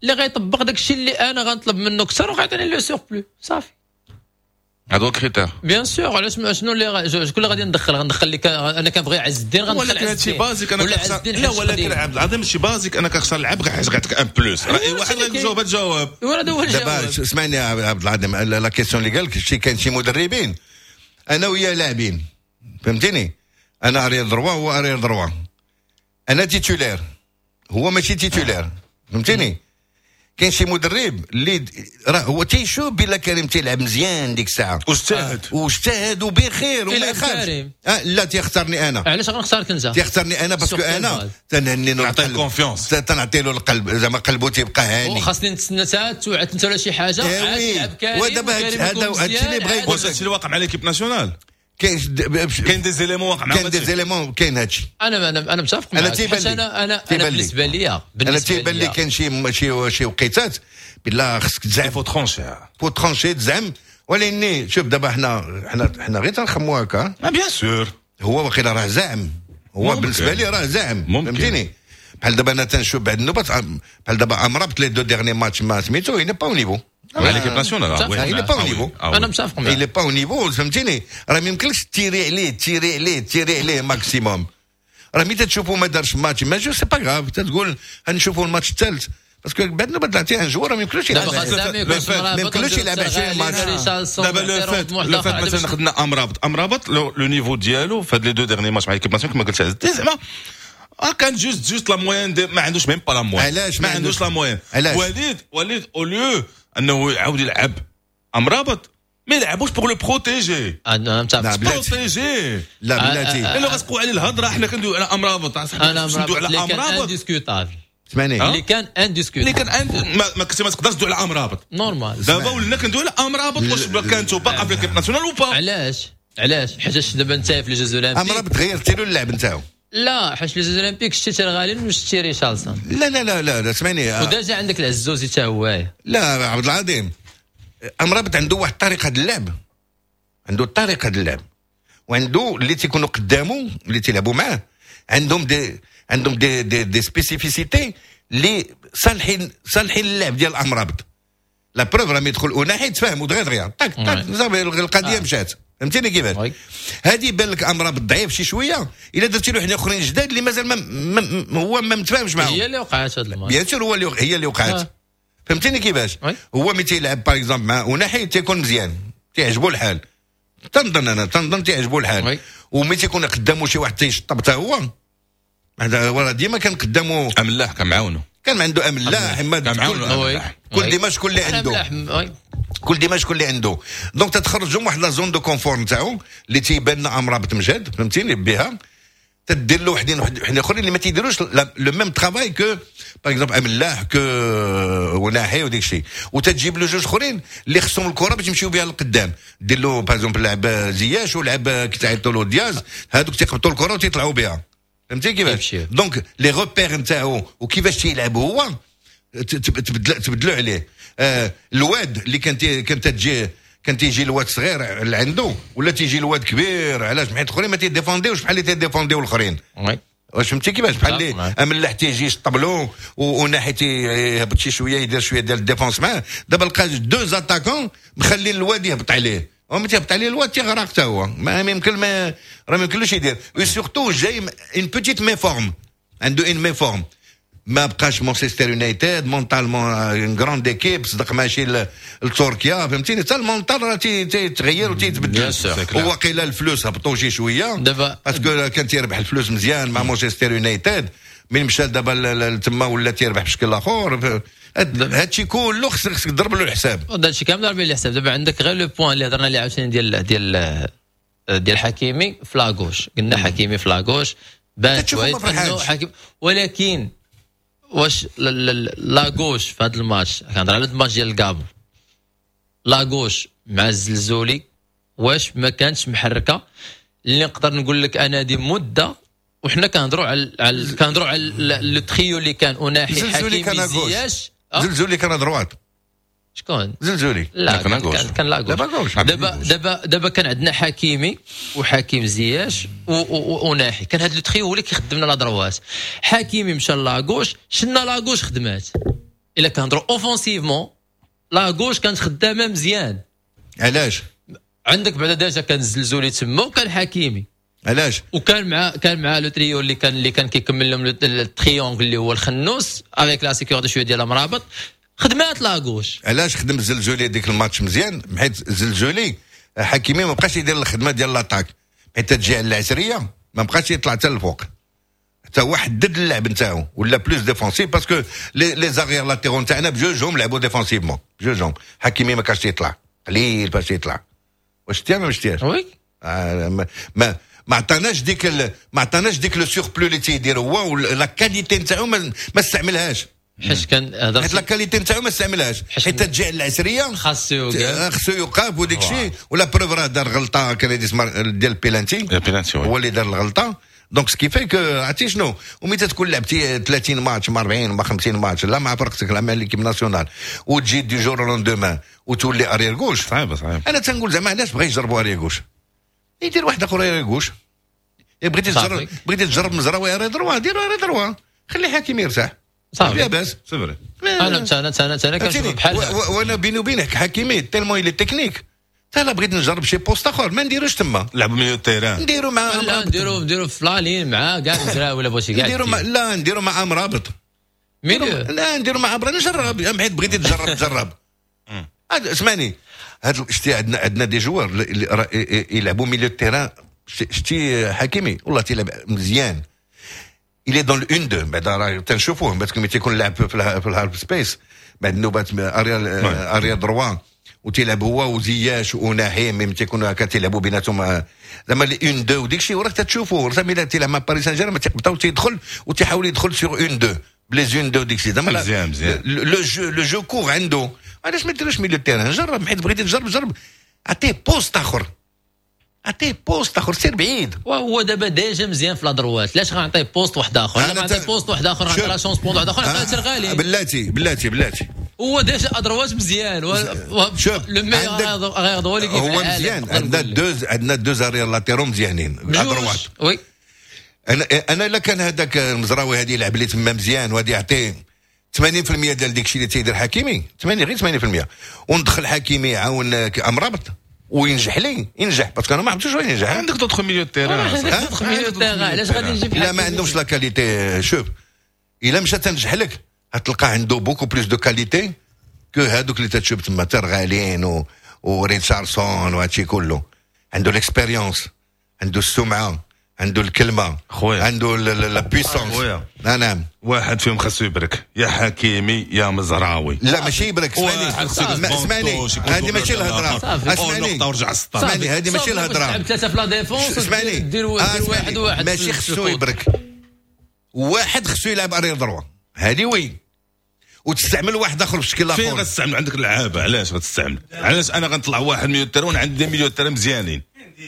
اللي غيطبق داك الشيء اللي انا غنطلب منه اكثر وغيعطيني le surplus صافي. هذا هو ال critère bien sûr. علاش شنو اللي شكون اللي غادي ندخل؟ غندخل اللي انا كنبغي عز الدين غندخل ولكن هادشي basique. انا كنختار لا ولكن عبد العظيم ماشي basique، انا كنختار لعب حيت غيعطيك un plus. راه اي واحد غيجاوب الجواب. هذا هو الجواب. دابا اسمعني يا عبد العظيم، la question اللي قال لك شي كان شي مدربين انا ويا لاعبين، فهمتيني؟ انا arrière droit هو arrière droit، انا titulaire هو ماشي titulaire، فهمتيني؟ كاين شي مدرب اللي راه هو تيشوف بلا كريم تيلعب مزيان ديك الساعة واجتهد واجتهد وبخير وما يخافش. آه لا تيختارني انا. علاش غنختارك انت؟ تيختارني انا parce que انا تنهني له نعطيه confiance، تنعطي له القلب زعما قلبه تيبقى هاني. وخاصني نتسنى حتى توعد انت ولا شي حاجة عاد يلعب كريم. ودابا هذا هادشي اللي بغا يقول. واش هادشي اللي واقع مع l'équipe nationale؟ كاين كاين des éléments واقع معاهم، كاين des éléments، كاين هادشي. انا انا انا متفق معاك. انا انا انا بالنسبة لي انا تيبان لي كاين شي شي شي وقيتات بالله خصك تزعم، faut trancher، faut trancher تزعم. ولكن شوف دابا حنا حنا حنا غير تنخمو هكا. bien sûr هو واقيلا راه زعم، هو بالنسبة لي راه زعم، فهمتيني؟ بحال دابا انا تنشوف بعد النوبات بحال دابا امرابط les deux derniers matchs ما سميتو il n'est pas au niveau مع l'équipe nationale. il est pas au niveau. انا متفق معاك. il est pas au niveau، فهمتيني؟ راه ما يمكنلكش تيري عليه تيري عليه تيري عليه maximum. راه ملي تشوفوا ما دارش ماتش ما جو c'est pas grave، تقول غنشوفوا الماتش الثالث parce que بعد نوبه طلعتي un joueur ما يمكنلوش يلعب، ما يمكنلوش يلعب عشرين ماتش. دابا le fait le fait مثلا خدنا امرابط، امرابط le niveau ديالو في هاد les deux derniers matchs مع l'équipe nationale كما قلت عز الدين زعما كان juste juste la moyenne، ما عندوش même pas la moyenne. علاش ما عندوش la moyenne؟ وليد وليد au lieu انه يعاود يلعب امرابط ما يلعبوش pour le protéger. انا متفق protéger. لا بلاتي لانه غتقوى عليه الهضرة. حنا كندويو على امرابط، انا كندويو على امرابط indiscutable. اسمعني اللي كان indiscutable، اللي كان ما, ما كنتي ما تقدرش تدوي على امرابط normal. دابا ولينا كندويو على امرابط واش كانتو باقا في l'équipe nationale ou pas. علاش علاش؟ حيت دابا انت في les Jeux Olympiques امرابط غيرتي له اللعب نتاعو. لا، حيت les Jeux Olympiques شتي ترغالين وشتي ريشارلسون. لا لا لا لا, لا اسمعني. و déjà عندك العزوزي حتى هو. لا عبد العظيم، امرابط عنده واحد الطريقة ديال اللعب، عنده الطريقة ديال اللعب، وعنده اللي تيكونوا قدامه اللي تيلعبوا معاه عندهم des عندهم des des, des spécificités اللي صالحين صالحين اللعب ديال امرابط. la preuve راه يدخل اوناحي تفاهموا دغيا دغيا طاك طاك، صافي القضية مشات. فهمتيني كيفاش؟ هذه يبان لك امرابط ضعيف شي شوية الا درتي له حنا اخرين جداد اللي مازال ما, ما هو ما متفاهمش معاهم. هي اللي وقعت هذا الماتش. bien sûr هو اللي هي اللي وقعت. آه. فهمتيني كيفاش؟ هو ملي تيلعب par exemple مع اوناحي تيكون مزيان، تيعجبو الحال. تنظن انا تنظن تيعجبو الحال. وملي تيكون قدامه شي واحد تيشطب حتى هو، هذا ديما كان قدامه املاح، كان معاونو، كان عنده املاح، كان معاونو كل ديما شكون اللي عنده، كل ديما شكون اللي عنده. donc تتخرجوا من واحد la zone de confort نتاعو اللي تيبان لنا امرابط مجاد، فهمتيني بها تدير له وحدين وحدين اخرين اللي ما تيديروش le même travail que par exemple املاح que وناحي وديك الشيء، وتتجيب له جوج اخرين اللي خصهم الكره باش يمشيو بها للقدام. دير له par exemple لعب زياش ولعب كي تعيطوا له دياز، هذوك تيقبطوا الكره وتيطلعوا بها. فهمتي كيفاش؟ donc les repères نتاعو وكيفاش تيلعب هو تبدل تبدلوا عليه. آه الواد اللي كان كان تجي كان تيجي الواد صغير اللي عنده ولا تيجي الواد كبير، علاش؟ حيت الاخرين ما تيديفونديوش بحال اللي تيديفونديو الاخرين. واش فهمتي كيفاش؟ بحال اللي املاح تيجي يشطبلو وناحي تيهبط شي شوية يدير شوية ديال ال défense معاه. دابا لقى deux attaquants مخلي الواد يهبط عليه، وملي تيهبط عليه الواد تيغرق حتى هو، ما يمكن ما راه ما يمكنلوش يدير. و surtout جاي une petite méforme، عنده une méforme، ما بقاش مانشستر يونايتد mentalement une grande équipe، صدق ماشي لتركيا، فهمتيني؟ حتى ال mental راه تيتغير وتيتبدل. وواقيلا الفلوس هبطوا شي شوية دابا، parce que كان تيربح الفلوس مزيان مع مانشستر يونايتد، من مشى دابا تما ولا تيربح بشكل اخر. هادشي كله خصك خصك تضرب له الحساب. هادشي كامل ضرب له الحساب. دابا عندك غير le point اللي هضرنا عليه عاوتاني ديال ديال ديال حكيمي في la gauche، قلنا حكيمي في la gauche بان حكيم، ولكن واش la gauche في هذا الماتش، كنهضر على الماتش ديال الكابون، la gauche مع الزلزولي واش ما كانتش محركة؟ اللي نقدر نقول لك انا دي مده وحنا كنهضروا على على كنهضروا على le trio اللي كان اوناحي حكيمي زياش. زلزولي كان droite. شكون زلزولي؟ لا كان كان, كان la gauche. دابا دابا دابا كان عندنا حكيمي وحكيم زياش وناحي، كان هذا le trio هو اللي كيخدمنا la droite. حكيمي مشى la gauche، شنا la gauche خدمات. الا كنهضروا offensivement la gauche كانت خدامه مزيان. علاش؟ عندك بعدا déjà كان الزلزولي تما وكان حكيمي. علاش؟ وكان مع كان مع le trio اللي كان اللي كان كيكمل لهم ال triangle اللي هو الخنوس avec la sécurité شوية ديال مرابط، خدمات la gauche. علاش خدم الزلزولي ديك الماتش مزيان؟ حيت الزلزولي حكيمي ما بقاش يدير الخدمة ديال l'attaque، حيت تجي على العسريه ما بقاش يطلع حتى الفوق، حتى هو حدد اللعب نتاعو ولا plus défensif، parce que les les arrières latéraux نتاعنا بجوجهم لعبوا défensivement بجوجهم. حكيمي ما كانش يطلع، قليل باش يطلع. واش شتيها ما شتيهاش؟ oui آه ما ما ما عطاناش ديك ال... ما عطاناش ديك le surplus اللي تيدير هو، la qualité نتاعو ما, ما استعملهاش. حيت كان حيت la qualité نتاعو ما استعملهاش، حيت تجي على العسريه خاصو يوقف، خاصو يوقف وديك الشيء. و la preuve راه دار غلطه كان ديال البيلانتي، البيلانتي هو اللي دار الغلطة. donc ce qui fait que عرفتي شنو، ومتى تكون لعبتي ثلاثين ماتش مع أربعين مع خمسين ماتش لا مع فرقتك لا مع l'équipe nationale، وتجي du jour au lendemain وتولي arrière gauche، صعيبة صعيبة. انا تنقول زعما علاش بغا يجربوا arrière gauche، يدير واحد اخر arrière gauche. بغيتي تجرب بغيتي تجرب مزراوي arrière droit، ديرو arrière droit، خلي حكيمي يرتاح. صافي لا باس c'est vrai. انا انا انا انا كنشوف بحال وانا بيني وبينك حكيمي tellement il est technique، حتى لا بغيت نجرب شي poste اخر ما نديروش تما، لعبوا milieu terrain، نديرو مع لا نديرو نديرو في la ligne مع كاع المزراوي ولا بغيتي كاع نديرو مع لا نديرو مع امرابط milieu، لا نديرو مع امرابط نجرب، حيت بغيتي تجرب تجرب. اسمعني هاد شتي عندنا عندنا des joueurs اللي يلعبوا milieu terrain. شتي حكيمي والله تيلعب مزيان، il est dans l'un deux بعدا راه تنشوفوه parce que ملي تيكون لاعب في ال half space بعد النوبات arrière arrière droit وتيلعب هو وزياش وناحي، même تيكونوا هكا تيلعبوا بيناتهم زعما les un deux وديك الشيء، وراك تشوفوه زعما الا تيلعب مع باريس سان جيرمان تيقبطو تيدخل وتيحاول يدخل sur un deux ب les un deux ديك الشيء زعما مزيان مزيان le jeu le jeu court عنده. علاش ما ديروش milieu terrain؟ جرب، حيت بغيتي تجرب جرب، عطية poste اخر، عطية poste اخر، سير بعيد. وهو دابا déjà مزيان في la droite، علاش غنعطيه poste واحد اخر؟ انا نعطيه poste واحد اخر، غنعطي la chance poste واحد اخر، نعطيه غالي. بلاتي بلاتي بلاتي، هو déjà à droite مزيان. شوف، le meilleur arrière droit اللي هو مزيان. عندنا deux عندنا deux arrières latéraux مزيانين à droite. oui. انا انا الا كان هذاك المزراوي هذه يلعب لي تما مزيان، وهذه يعطيه ثمانين في المية ديال ديك الشيء اللي تيدير حكيمي، ثمانين، غير ثمانين في المية، وندخل حكيمي يعاون امرابط وينجح لي، ينجح، parce que انا ما عرفتش واش ينجح. عندك d'autres milieux terrain. عندك d'autres milieux terrain، علاش غادي نجيب؟ لا، ما عندهمش la qualité. شوف، الا مشى تنجح لك، غتلقى عنده beaucoup plus de qualités que هادوك اللي تتشوف تما، ترغالين و وريتشاردسون وهادشي كله. عنده l'expérience، عنده السمعه، عنده الكلمه، خويا. عنده la puissance. خويا. نعم. واحد فيهم خاصو يبرك، يا حكيمي يا مزراوي. لا، ماشي يبرك، اسمعني اسمعني، هذه ماشي الهضره. اسمعني، نقطة ورجع السطر. اسمعني، هذه ماشي الهضره. تلعب ثلاثة في la défense. اسمعني. دير واحد واحد. ماشي خصو يبرك، واحد خصو يلعب arrière droit، هذه oui، وتستعمل واحد اخر في شكل اخر. فين غتستعمل؟ عندك اللعابه، علاش غتستعمل؟ علاش انا غنطلع واحد milieu terrain؟ عندي milieux terrain مزيانين،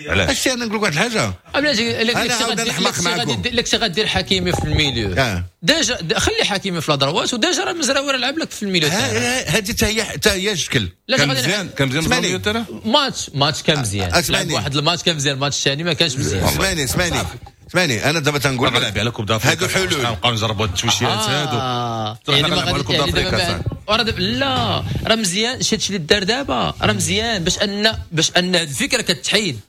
علاش؟ اش انا نقول لك واحد الحاجه. بلاتي، الا كنتي غدير حكيمي في ال milieu آه. déjà خلي حكيمي في la droite، و déjà راه المزراوي راه لعب لك في ال milieu. هذه حتى هي حتى هي شكل. كان مزيان، كان مزيان. milieu terrain. match match كان مزيان، لعب واحد الماتش كان مزيان، الماتش الثاني ما كانش مزيان. اسمعني اسمعني اسمعني، انا دابا تنقول لك على Coupe d'Afrique. هادو حلول. نبقاو نجربوا هاد التويشيات هادو. يعني ما غادي يعني دابا لا، راه مزيان شي هادشي اللي دار دابا، راه مزيان باش ان باش ان الفكرة كتحيد.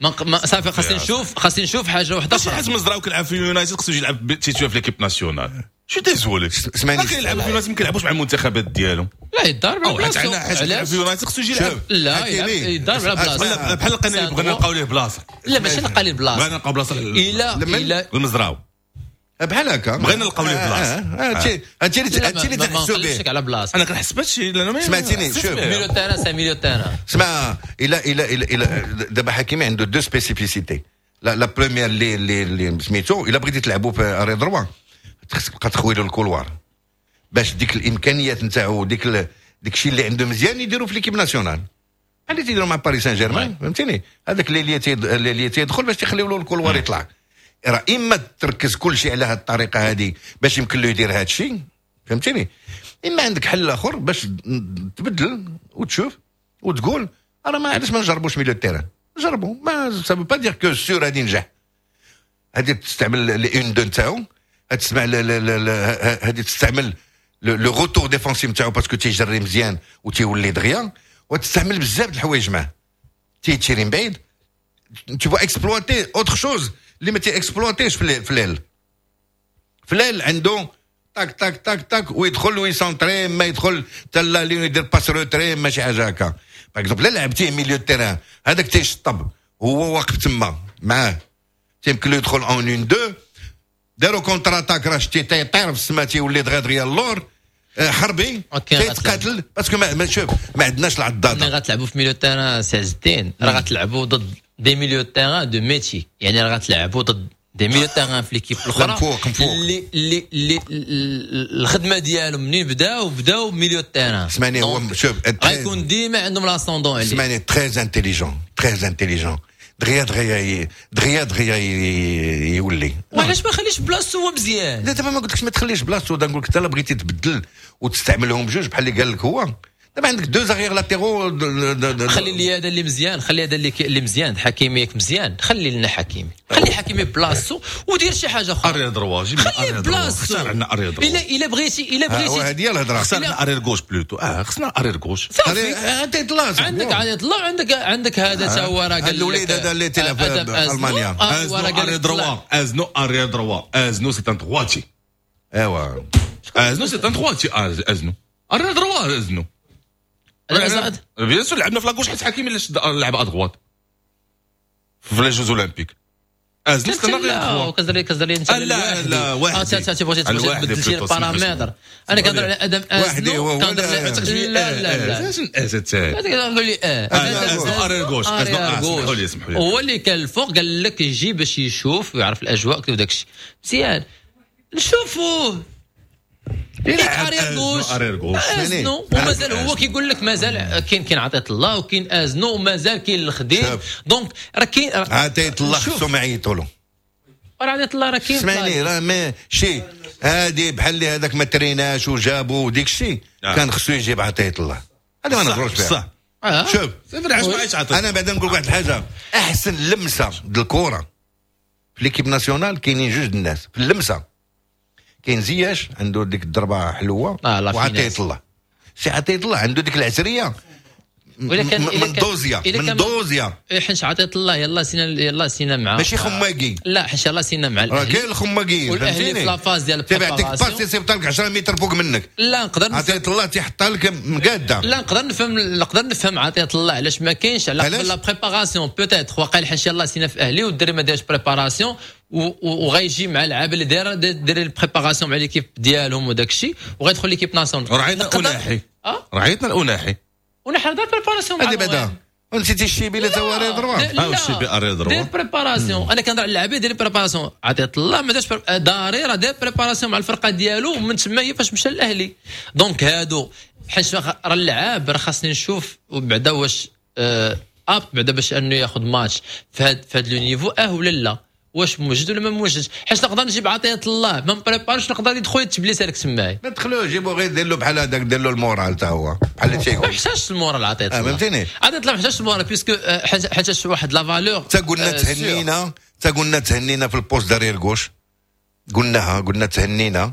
ما صافي، خاصني نشوف خاصني نشوف حاجة واحدة اخرى. حيت مزراوي كيلعب في اليونايتد خصو يجي يلعب titulaire في l'équipe nationale. je suis désolé. اسمعني. كيلعب في اليونايتد، ما كيلعبوش مع المنتخبات ديالهم. لا، يضارب على بلاصتو. حيت في اليونايتد خصو يجي يلعب. لا، يضارب على بلاصتو. بحال لقينا اللي بغينا نلقاو ليه بلاصه. لا، ماشي نلقى ليه بلاصه. بغينا نلقاو بلاصه. الا الا المزراوي. بحال هكا. بغينا نلقاو ليه بلاصه. هادشي هادشي اللي هادشي اللي تنحسوا به. على بلاصه. انا كنحس بهادشي. سمعتيني؟ شوف. milieu terrain، c'est milieu terrain. اسمع، الى الى الى الى دابا حكيمي عنده deux spécificités. la la première اللي اللي اللي سميتو، الا بغيتي تلعبوا في arrière droit خصك تبقى تخوي له ال couloir باش ديك الامكانيات نتاعو، ديك ديك الشيء اللي عنده مزيان يديروا في l'équipe nationale، بحال اللي تيديروا مع باريس سان جيرمان، فهمتيني؟ هذاك اللي اللي تيدخل باش تخليو له ال couloir يطلع. راه اما تركز كل شيء على هذه الطريقة هذه باش يمكن له يدير هذا الشيء، فهمتيني؟ اما عندك حل اخر باش تبدل وتشوف وتقول انا ما علاش ما نجربوش milieu terrain؟ جربوا، mais ça veut pas dire que sûr غادي ينجح. هذه تستعمل les une-deux نتاعو، تسمع، هذه تستعمل le retour défensif نتاعو parce que تيجري مزيان وتيولي دغيا، وتستعمل بزاف د الحوايج معاه، تيتيري من بعيد، tu vas exploiter autre chose اللي ما تي exploiter ش في l'aile. في l'aile عنده تاك تاك تاك تاك ويدخل وي centrer، ما يدخل حتى لا يدير passe retrait، ماشي حاجة هكا. par exemple لعبتيه milieu terrain، هذاك تيشطب، هو واقف تما معاه، تيمكن له يدخل en une-deux، داروا contre-attaque، راه شتي تيطير في السما، تيولي دغيا دغيا اللور، آه، حربي تيتقاتل، parce que ما شوف، ما عندناش العضاضه. ملي غتلعبوا في milieu terrain سي عز الدين، راه غتلعبوا ضد des milieux terrain de métier، يعني راه غتلعبوا ضد des milieux terrain في l'équipe الاخرى مفوق مفوق. اللي اللي اللي الخدمة ديالهم منين بداو بداو milieu terrain. اسمعني، هو شوف. غيكون ديما عندهم l'ascendant عليه. اسمعني، très intelligent، très intelligent، دغيا دغيا دغيا دغيا يولي. وعلاش ما خليش بلاصتو هو مزيان؟ لا، دابا ما قلتلكش ما تخليش بلاصتو، نقول لك انت بغيتي تبدل وتستعملهم بجوج بحال اللي قال لك هو. دابا عندك deux arrières latéraux. خلي لي هذا اللي مزيان، خلي هذا اللي اللي مزيان، حكيمي ياك مزيان، خلي لنا حكيمي، خلي حكيمي بلاصتو ودير شي حاجة اخرى. arrière droit. جيب خلي بلاصتو. اختار عندنا arrière droit. الا الا بغيتي الا بغيتي هذه هي الهضره. خسرنا arrière gauche plutôt، اه خصنا arrière gauche. انت طلع. عندك عندك طلع، عندك عندك هذا تا هو راه قال الوليد هذا اللي تلعب في المانيا. ازنو arrière droit، ازنو arrière droit، ازنو c'est un droitier. ايوا. ازنو c'est un droitier، ازنو arrière droit، ازنو bien sûr لعبنا في la gauche حيت حكيمي اللي لعب à droite في les Jeux Olympiques. ازنو c'est لا، كزري كزري انت. لا لا، واحد اه تي بغيتي تبدل شي بارامتر، انا كنهضر على ادم ازنو، كنهضر. لا لا لا، لا قول لي اه ازنو arrière gauche، ازنو، اسمحوا لي اسمحوا لي. هو اللي كان الفوق، قال لك يجي باش يشوف ويعرف الاجواء وداك الشيء مزيان، نشوفوه. arrière gauche arrière gauche ازنو، ومازال هو كيقول لك مازال كاين كاين عطية الله وكاين ازنو ومازال كاين الخديم، donc راه كاين عطية الله خصهم يعيطوا له. راه عطية الله راه كاين، اسمعني راه ماشي هادي بحال اللي هذاك ما تريناش وجابو وديك الشيء، كان خصو يجيب عطية الله، هذا ما نهضروش فيها. صح آه. شوف علاش انا بعدا نقول واحد الحاجة، احسن لمسه ديال الكره في l'équipe nationale كاينين جوج الناس في اللمسة، كاين زياش عنده ديك الضربة حلوة آه وعطية الله، سي عطية الله عنده ديك العسريه من دوزيا من دوزيا حيت عطية الله يلا سينا يلا سينا مع ماشي خماقي، لا حيت يلا سينا مع الاهلي، راه كاين الخماقيين فهمتيني، في la phase ديال تيعطيك passe يصيفط لك عشرة متر فوق منك. لا نقدر عطية الله تيحطها لك مقاده. لا نقدر نفهم نقدر نفهم عطية الله علاش ما كاينش، على قبل la préparation peut-être، واقع حيت يلا سينا في اهلي والدري ما دارش préparation وغيجي مع اللعابه اللي دايرة داير ال préparation مع l'équipe ديالهم وداك الشيء وغيدخل l'équipe nationale. رعيتنا الأناحي، رعيتنا الأناحي ونحن دار préparation هذه بعدا ونسيتي الشيبي اللي تا arrière droit. اه الشيبي arrière droit دير préparation. انا كنهضر على اللعابه دير préparation، عطية الله ما دارش داري راه دار préparation مع الفرقة ديالو ومن تما هي فاش مشى للاهلي. donc هادو حيت راه اللعاب راه خاصني نشوف بعدا واش apte بعدا باش انه ياخذ ماتش في هاد في هاد le niveau اه ولا لا، واش موجد ولا ما موجدش، حيت نقدر نجيب عطية الله ما مبريبارش نقدر يدخل يتبليس هذاك تماي. ما تدخلوش جيبو غير دير له بحال هذاك، دير له ال moral تا هو بحال اللي تيقول. ما محتاجش ال moral عطية الله، فهمتيني، عطية الله ما محتاجش ال moral puisque حيت واحد la valeur. تا قلنا تهنينا، تا قلنا تهنينا في ال poste d'arrière gauche، قلناها قلنا تهنينا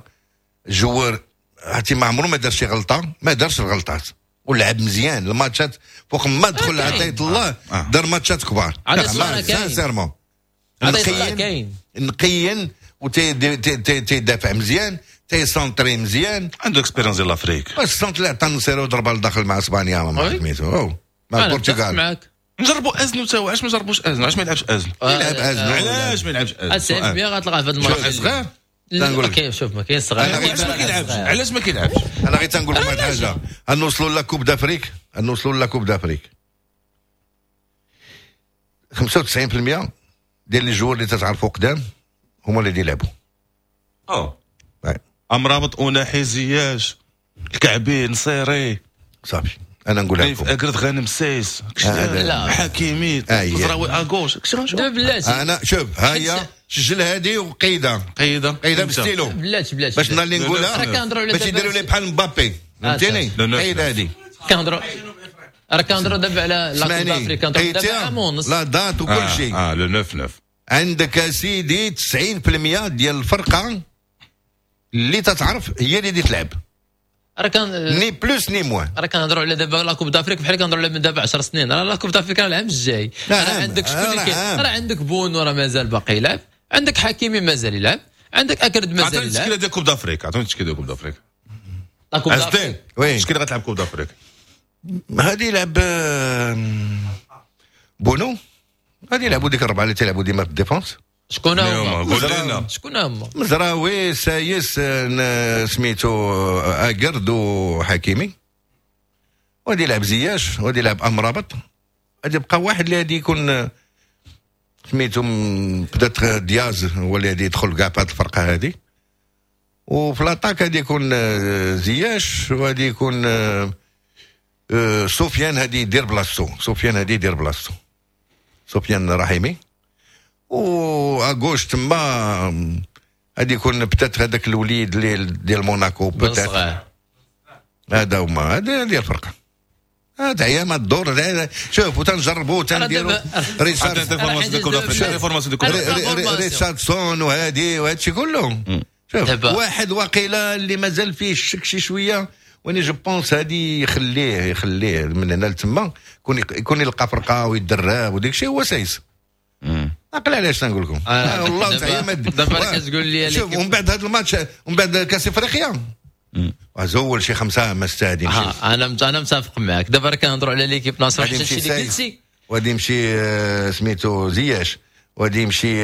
joueur عرفتي ما عمره ما دار شي غلطه، ما دارش الغلطات ولعب مزيان الماتشات فوق ما دخل عطية الله دار ماتشات كبار sincèrement كاين نقيا وتيدافع مزيان تيسونطري مزيان، عنده expérience ديال l'Afrique. ال centre اللي عطى نصيرو ضربه لداخل مع اسبانيا مع سميتو مع البرتغال. نجربوا ازنو تا هو، علاش ما نجربوش ازنو؟ علاش ما يلعبش ازنو؟ يلعب ازنو، علاش ما يلعبش ازنو؟ تسعين بالمية غتلقاه في هذا الماتش صغير. تنقول لك شوف ما كاين صغير، علاش ما كيلعبش؟ علاش ما كيلعبش؟ انا غير تنقول لكم واحد الحاجة، نوصلوا la Coupe d'Afrique، نوصلوا la Coupe d'Afrique خمسة وتسعين بالمية ديال les joueurs اللي تتعرفوا قدام هما اللي يلعبوا. اه امرابط اوناحي زياش الكعبي نصيري صافي. انا نقولها لكم اكرد غانم سايس حكيمي مزراوي à gauche. بلاتي انا شوف هيا سجل هذه وقيده قيده قيده بالستيلو بلاتي بلاتي باش النهار اللي نقولها باش يديروا لي بحال مبابي فهمتيني. قيده هذه كنهضروا راه كنهضروا دابا على la Coupe d'Afrique، كنهضروا دابا عام ونص la date وكل شيء. اه le neuf neuf عندك سيدي تسعين بالمية ديال الفرقة اللي تتعرف هي اللي تلعب، راه كان ni plus ni moins. راه كنهضروا على دابا la Coupe d'Afrique بحال كنهضروا على من دابا عشر سنين، راه la Coupe d'Afrique راه العام الجاي. راه عندك شكون اللي كاين؟ راه عندك بونو راه مازال باقي يلعب، عندك حكيمي مازال يلعب، عندك اكرد مازال يلعب. عطيني التشكيلة ديال Coupe d'Afrique، عطيني التشكيلة ديال Coupe d'Afrique. la Coupe d'Afrique oui شكون اللي غتلعب Coupe d'Afrique؟ غادي يلعب بونو، غادي يلعبوا ديك الربعه اللي تيلعبوا ديما في ال défense. شكون هما؟ قول شكون هما؟ مزراوي سايس سميتو اكرد وحكيمي، وغادي يلعب زياش، وغادي يلعب امرابط، غادي يبقى واحد اللي غادي يكون سميتو peut-être دياز هو اللي غادي يدخل كاع في هذه الفرقة هذه. وفي l'attaque غادي يكون زياش، وغادي يكون سفيان هادي يدير بلاصتو، سفيان هادي يدير بلاصتو، سفيان رحيمي. و à gauche تما غادي يكون peut-être هذاك الوليد اللي ديال موناكو peut-être، هذا هما هذه هذه الفرقة. هذا هي ما الدور. شوف وتنجربوا تنديروا ريتشاردسون وهادي وهادشي كله. شوف واحد واقيلا اللي مازال فيه الشك شي شوية، واني je pense هادي يخليه يخليه من هنا لتما يكون يكون يلقى فرقه ويدرب وديك الشيء هو سايس. عقل علاش تنقول لكم آه والله تعالى دابا كتقول لي شوف. ومن بعد هذا الماتش ومن بعد كاس افريقيا زول شي خمسة ما ستة آه انا انا متفق معاك. دابا راه كنهضروا على l'équipe nationale حتى اللي قلتي، وغادي يمشي سميتو زياش، وغادي يمشي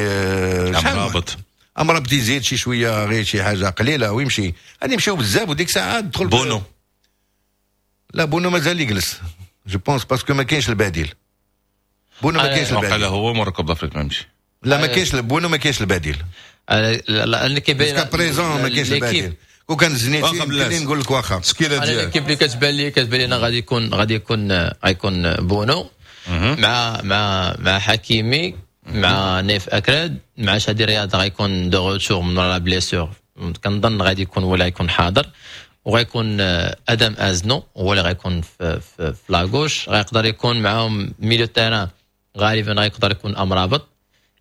امرابط، امرابط يزيد شي شوية غير شي حاجة قليله ويمشي. غادي يمشيو بزاف وديك الساعة تدخل بونو. لا بونو مازال يجلس je pense parce que ما كاينش البديل. بونو ما كاينش البديل. هو مور Coupe d'Afrique ما يمشي. لا ما كاينش بونو، ما كاينش البديل. لان كيبان jusqu'à présent ما كاينش البديل. وكان زنيتي يمكن نقول لك واخا التشكيلة ديالك. انا l'équipe اللي كتبان لي كتبان لي غادي يكون غادي يكون غيكون بونو مع مع مع حكيمي مع نيف اكراد مع شادي رياض غيكون de retour من la blessure، كنظن غادي يكون ولا يكون حاضر، وغيكون ادم ازنو هو اللي غيكون في في, في la gauche، غيقدر يكون معاهم milieu terrain غالبا غيقدر يكون امرابط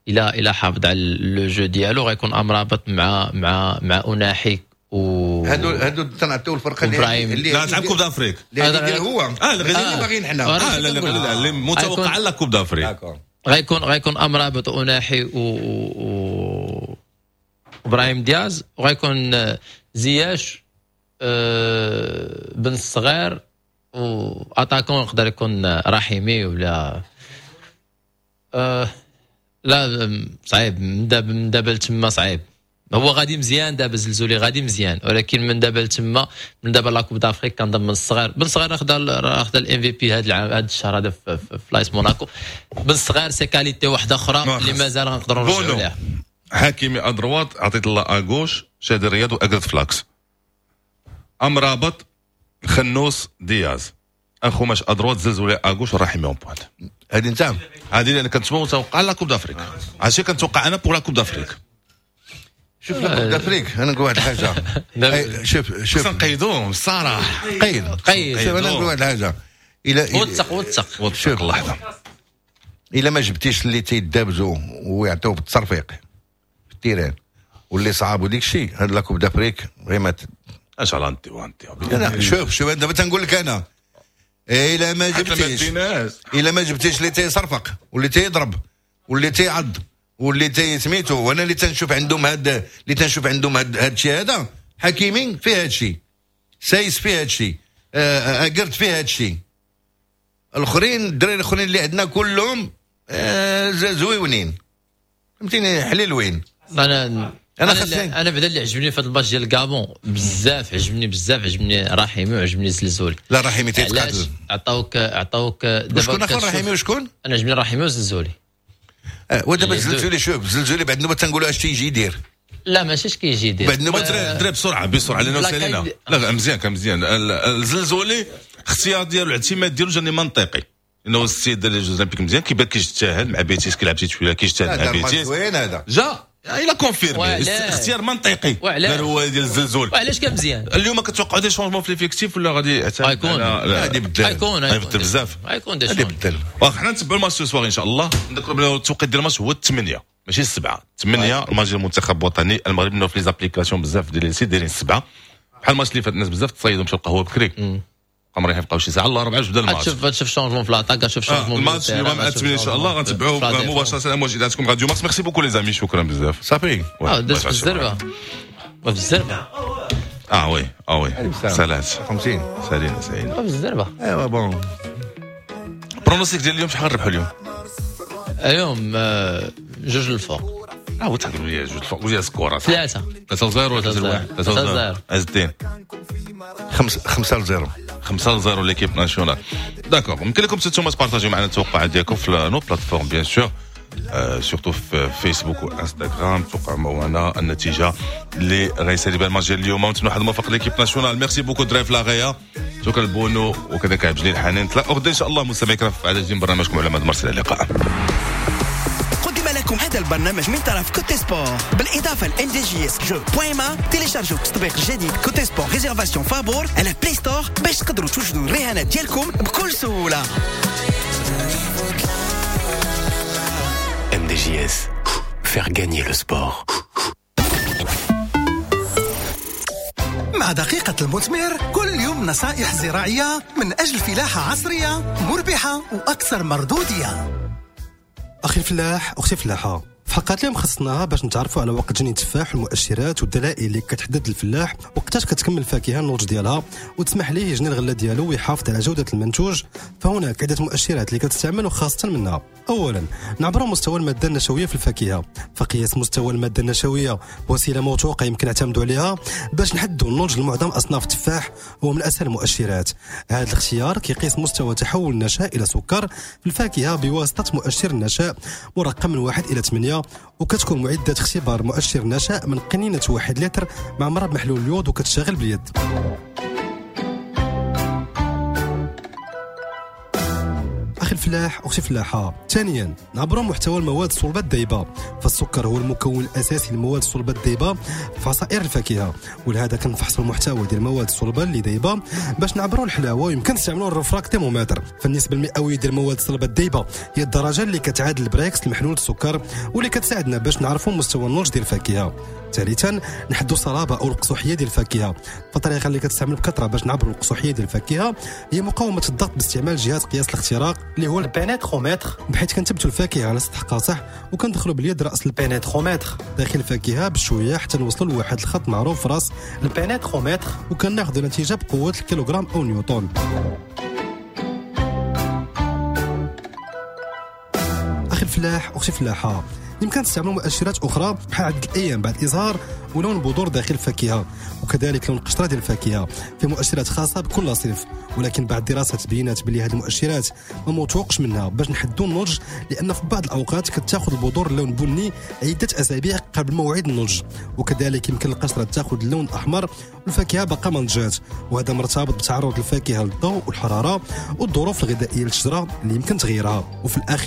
الى الى حافظ على le jeu ديالو، غيكون امرابط مع مع مع اناحي و هادو هادو تنعطيو الفرقة اللي اللي لا تلعب Coupe d'Afrique اللي هو اه اللي باغيين حنا اه لا لا اللي متوقع على Coupe d'Afrique. غيكون غيكون امرابط واناحي و, و... ابراهيم دياز، وغيكون زياش أه بن الصغير، و attaquant يقدر يكون رحيمي ولا أه لا صعيب من دابا من دابا لتما صعيب. هو غادي مزيان دابا زلزولي غادي مزيان، ولكن من دابا لتما من دابا la Coupe d'Afrique كنظن بن الصغير بن الصغير خدا خدا ال MVP هذا العام هذا الشهر هذا في, في, في لايس موناكو. بن الصغير ses qualités واحدة اخرى اللي مازال غنقدروا نرجعوا ليها. حكيمي à droite، عطيت الله à gauche، شادي رياض واكرد ف l'axe، امرابط خنوس دياز، اخوماش à droite، زلزولي à gauche، رحيمي en pointe. هذه انت هذه اللي كنت متوقع la Coupe d'Afrique، هادشي كنتوقع انا pour la Coupe d'Afrique. شوف la Coupe d'Afrique انا نقول واحد الحاجة، شوف شوف نقيدوهم الصراحة، قيد قيد. شوف انا نقول واحد الحاجة، الى وثق وثق وثق اللحظة، الا ما جبتيش اللي تيدابزوا ويعطيو بالتصرفيق في ال terrain واللي صعاب وديك الشيء، هاد la Coupe d'Afrique غير اش على انت وانت. شوف شوف دابا تنقول لك انا، الا ما جبتيش الا ما جبتيش اللي تيصرفق واللي تيضرب واللي تيعض واللي تيسميتو، وانا اللي تنشوف عندهم هاد اللي تنشوف عندهم هاد الشيء هذا، حكيمي فيه هاد الشيء، سايس فيه هاد الشيء، اكرد فيه هاد الشيء، الاخرين الدراري الاخرين اللي عندنا كلهم زويونين، فهمتيني، حليلوين. انا انا انا, أنا بعدا اللي عجبني في هذا الماتش ديال الكابون بزاف، عجبني بزاف، عجبني رحيمي وعجبني زلزولي. لا رحيمي تيتقاتل، عطاوك عطاوك دابا شكون اخر رحيمي وشكون؟ انا عجبني رحيمي وزلزولي. اه ودابا زلزولي، شوف زلزولي بعد النوبة تنقولوا اش تيجي يدير. لا ماشي اش كيجي يدير بعد النوبة دري بسرعة بسرعة لانه سالينا. لا مزيان كان مزيان الزلزولي، اختيار ديالو الاعتماد ديالو جاني منطقي، انه السيد دار les Jeux Olympiques مزيان، كيبان كيجتهد مع بيتيس، كيلعب titulaire كيجتهد مع بيتيس، وين هذا جا il a confirmé اختيار منطقي دار هو ديال الزلزول. وعلاش كان مزيان؟ اليوم كتوقعوا des changements في l'effectif ولا غادي غيكون غادي يبدل؟ غيكون غيبدل بزاف، غيكون des غادي يبدل. واخا حنا نتبعوا الماتش ce soir ان شاء الله. نذكروا بلي التوقيت ديال الماتش هو الثمانية ماشي السبعة، الثمانية الماتش ديال المنتخب الوطني المغرب. في les applications بزاف ديال les sites دايرين السبعة، بحال الماتش اللي فات الناس بزاف تصيدوا مشاو القهوة بكري، قمرين يبقاو شي ساعة الله ربعه بدا الماتش. تشوف تشوف changement في l'attaque، تشوف changement الماتش اليوم مع الثمانية ان شاء الله غنتبعوه مباشرة موجوداتكم راديو مارس. merci beaucoup les amis، شكرا بزاف. صافي اه دازت بالزربه بالزربه. اه oui اه oui سالات خمسين سالينا سالينا بالزربه. ايوا bon pronostic ديال اليوم شحال غنربحوا اليوم؟ اليوم جوج الفوق. اه وتقول لي جوج الفوق ولا score ثلاثة ثلاثة صفر ولا ثلاثة واحد؟ ثلاثة صفر. عز الدين خمسة صفر خمسة صفر l'équipe nationale. d'accord، يمكن لكم انتم تبارطاجيو معنا التوقعات ديالكم في nos plateformes bien sûr، surtout في فيسبوك وانستغرام. توقعوا معنا النتيجة اللي غيسالي بها الماتش ديال اليوم، ونتمنى واحد الموفق l'équipe nationale. merci beaucoup دري في لاغيا، شكرا لبونو وكذلك عبد الجليل حنين. تلاقوا غدا ان شاء الله مستمعي الكرام في عدد من برنامجكم على مدى مرسل. اللقاء. قدم لكم هذا البرنامج من طرف Cote Sport بالإضافة ل إم دي جي إس جو بوين ما. تيليشارجوا التطبيق الجديد Cote Sport réservation فابور على Play Store باش تقدروا توجدوا الرهانات ديالكم بكل سهولة. إم دي جي إس faire gagner le sport. مع دقيقة المثمر كل يوم نصائح زراعية من أجل فلاحة عصرية مربحة وأكثر مردودية. أخي الفلاح، أختي الفلاحة، في حلقات اليوم خصناها باش نتعرفوا على وقت جني التفاح والمؤشرات والدلائل اللي كتحدد الفلاح وقتاش كتكمل الفاكهة النضج ديالها وتسمح ليه يجني الغلة ديالو ويحافظ على جوده المنتوج. فهناك عده مؤشرات اللي كتستعمل وخاصة منها اولا نعبر مستوى المادة النشويه في الفاكهة. فقياس مستوى المادة النشويه وسيلة موثوقة يمكن نعتمدوا عليها باش نحددوا النضج لمعظم اصناف التفاح، هو من اسهل المؤشرات. هذا الاختيار كيقيس مستوى تحول النشاء الى سكر في الفاكهة بواسطة مؤشر النشاء مرقم من واحد الى ثمانية المية، وكتكون معدة اختبار مؤشر النشاء من قنينة واحد لتر معمرة بمحلول اليود وكتشتغل باليد. أخي الفلاح أختي الفلاحة، ثانيا نعبروا محتوى المواد الصلبة الذايبة، فالسكر هو المكون الأساسي للمواد الصلبة الذايبة في عصائر الفاكهة، ولهذا كنفحصوا المحتوى ديال المواد الصلبة اللي ذايبة باش نعبروا الحلاوة، ويمكن نستعملوا ال réfractomètre. فالنسبة المئوية ديال المواد الصلبة الذايبة هي الدرجة اللي كتعادل ال Brix المحلول السكر، واللي كتساعدنا باش نعرفوا مستوى النضج ديال الفاكهة. ثالثا نحدوا الصلابة او القصوحيه ديال الفاكهة، فالطريقه اللي كتستعمل بكثرة باش نعبروا القصوحيه ديال الفاكهة هي مقاومة الضغط باستعمال جهاز قياس الاختراق اللي هو ال pénétromètre، بحيث كنثبتوا الفاكهة على سطح قاصح وكندخلوا باليد راس ال pénétromètre داخل الفاكهة بشوية حتى نوصلوا لواحد الخط معروف راس ال pénétromètre، وكناخذوا نتيجة بقوة الكيلوغرام او نيوتن. اخي الفلاح اختي الفلاحة، يمكن تستعملوا مؤشرات اخرى بحال عدد الايام بعد الازهار ولون البذور داخل الفاكهة، وكذلك لون القشرة ديال الفاكهة، في مؤشرات خاصة بكل صنف. ولكن بعد دراسة تبينات بلي هذه المؤشرات ما موثوقش منها باش نحدوا النضج، لان في بعض الاوقات كتاخذ البذور اللون بني عده اسابيع قبل موعد النضج، وكذلك يمكن القشرة تاخذ اللون الاحمر والفاكهه باقا ما نضجات، وهذا مرتبط بتعرض الفاكهة للضوء والحرارة والظروف الغذائية للشجره اللي يمكن تغيرها. وفي الاخير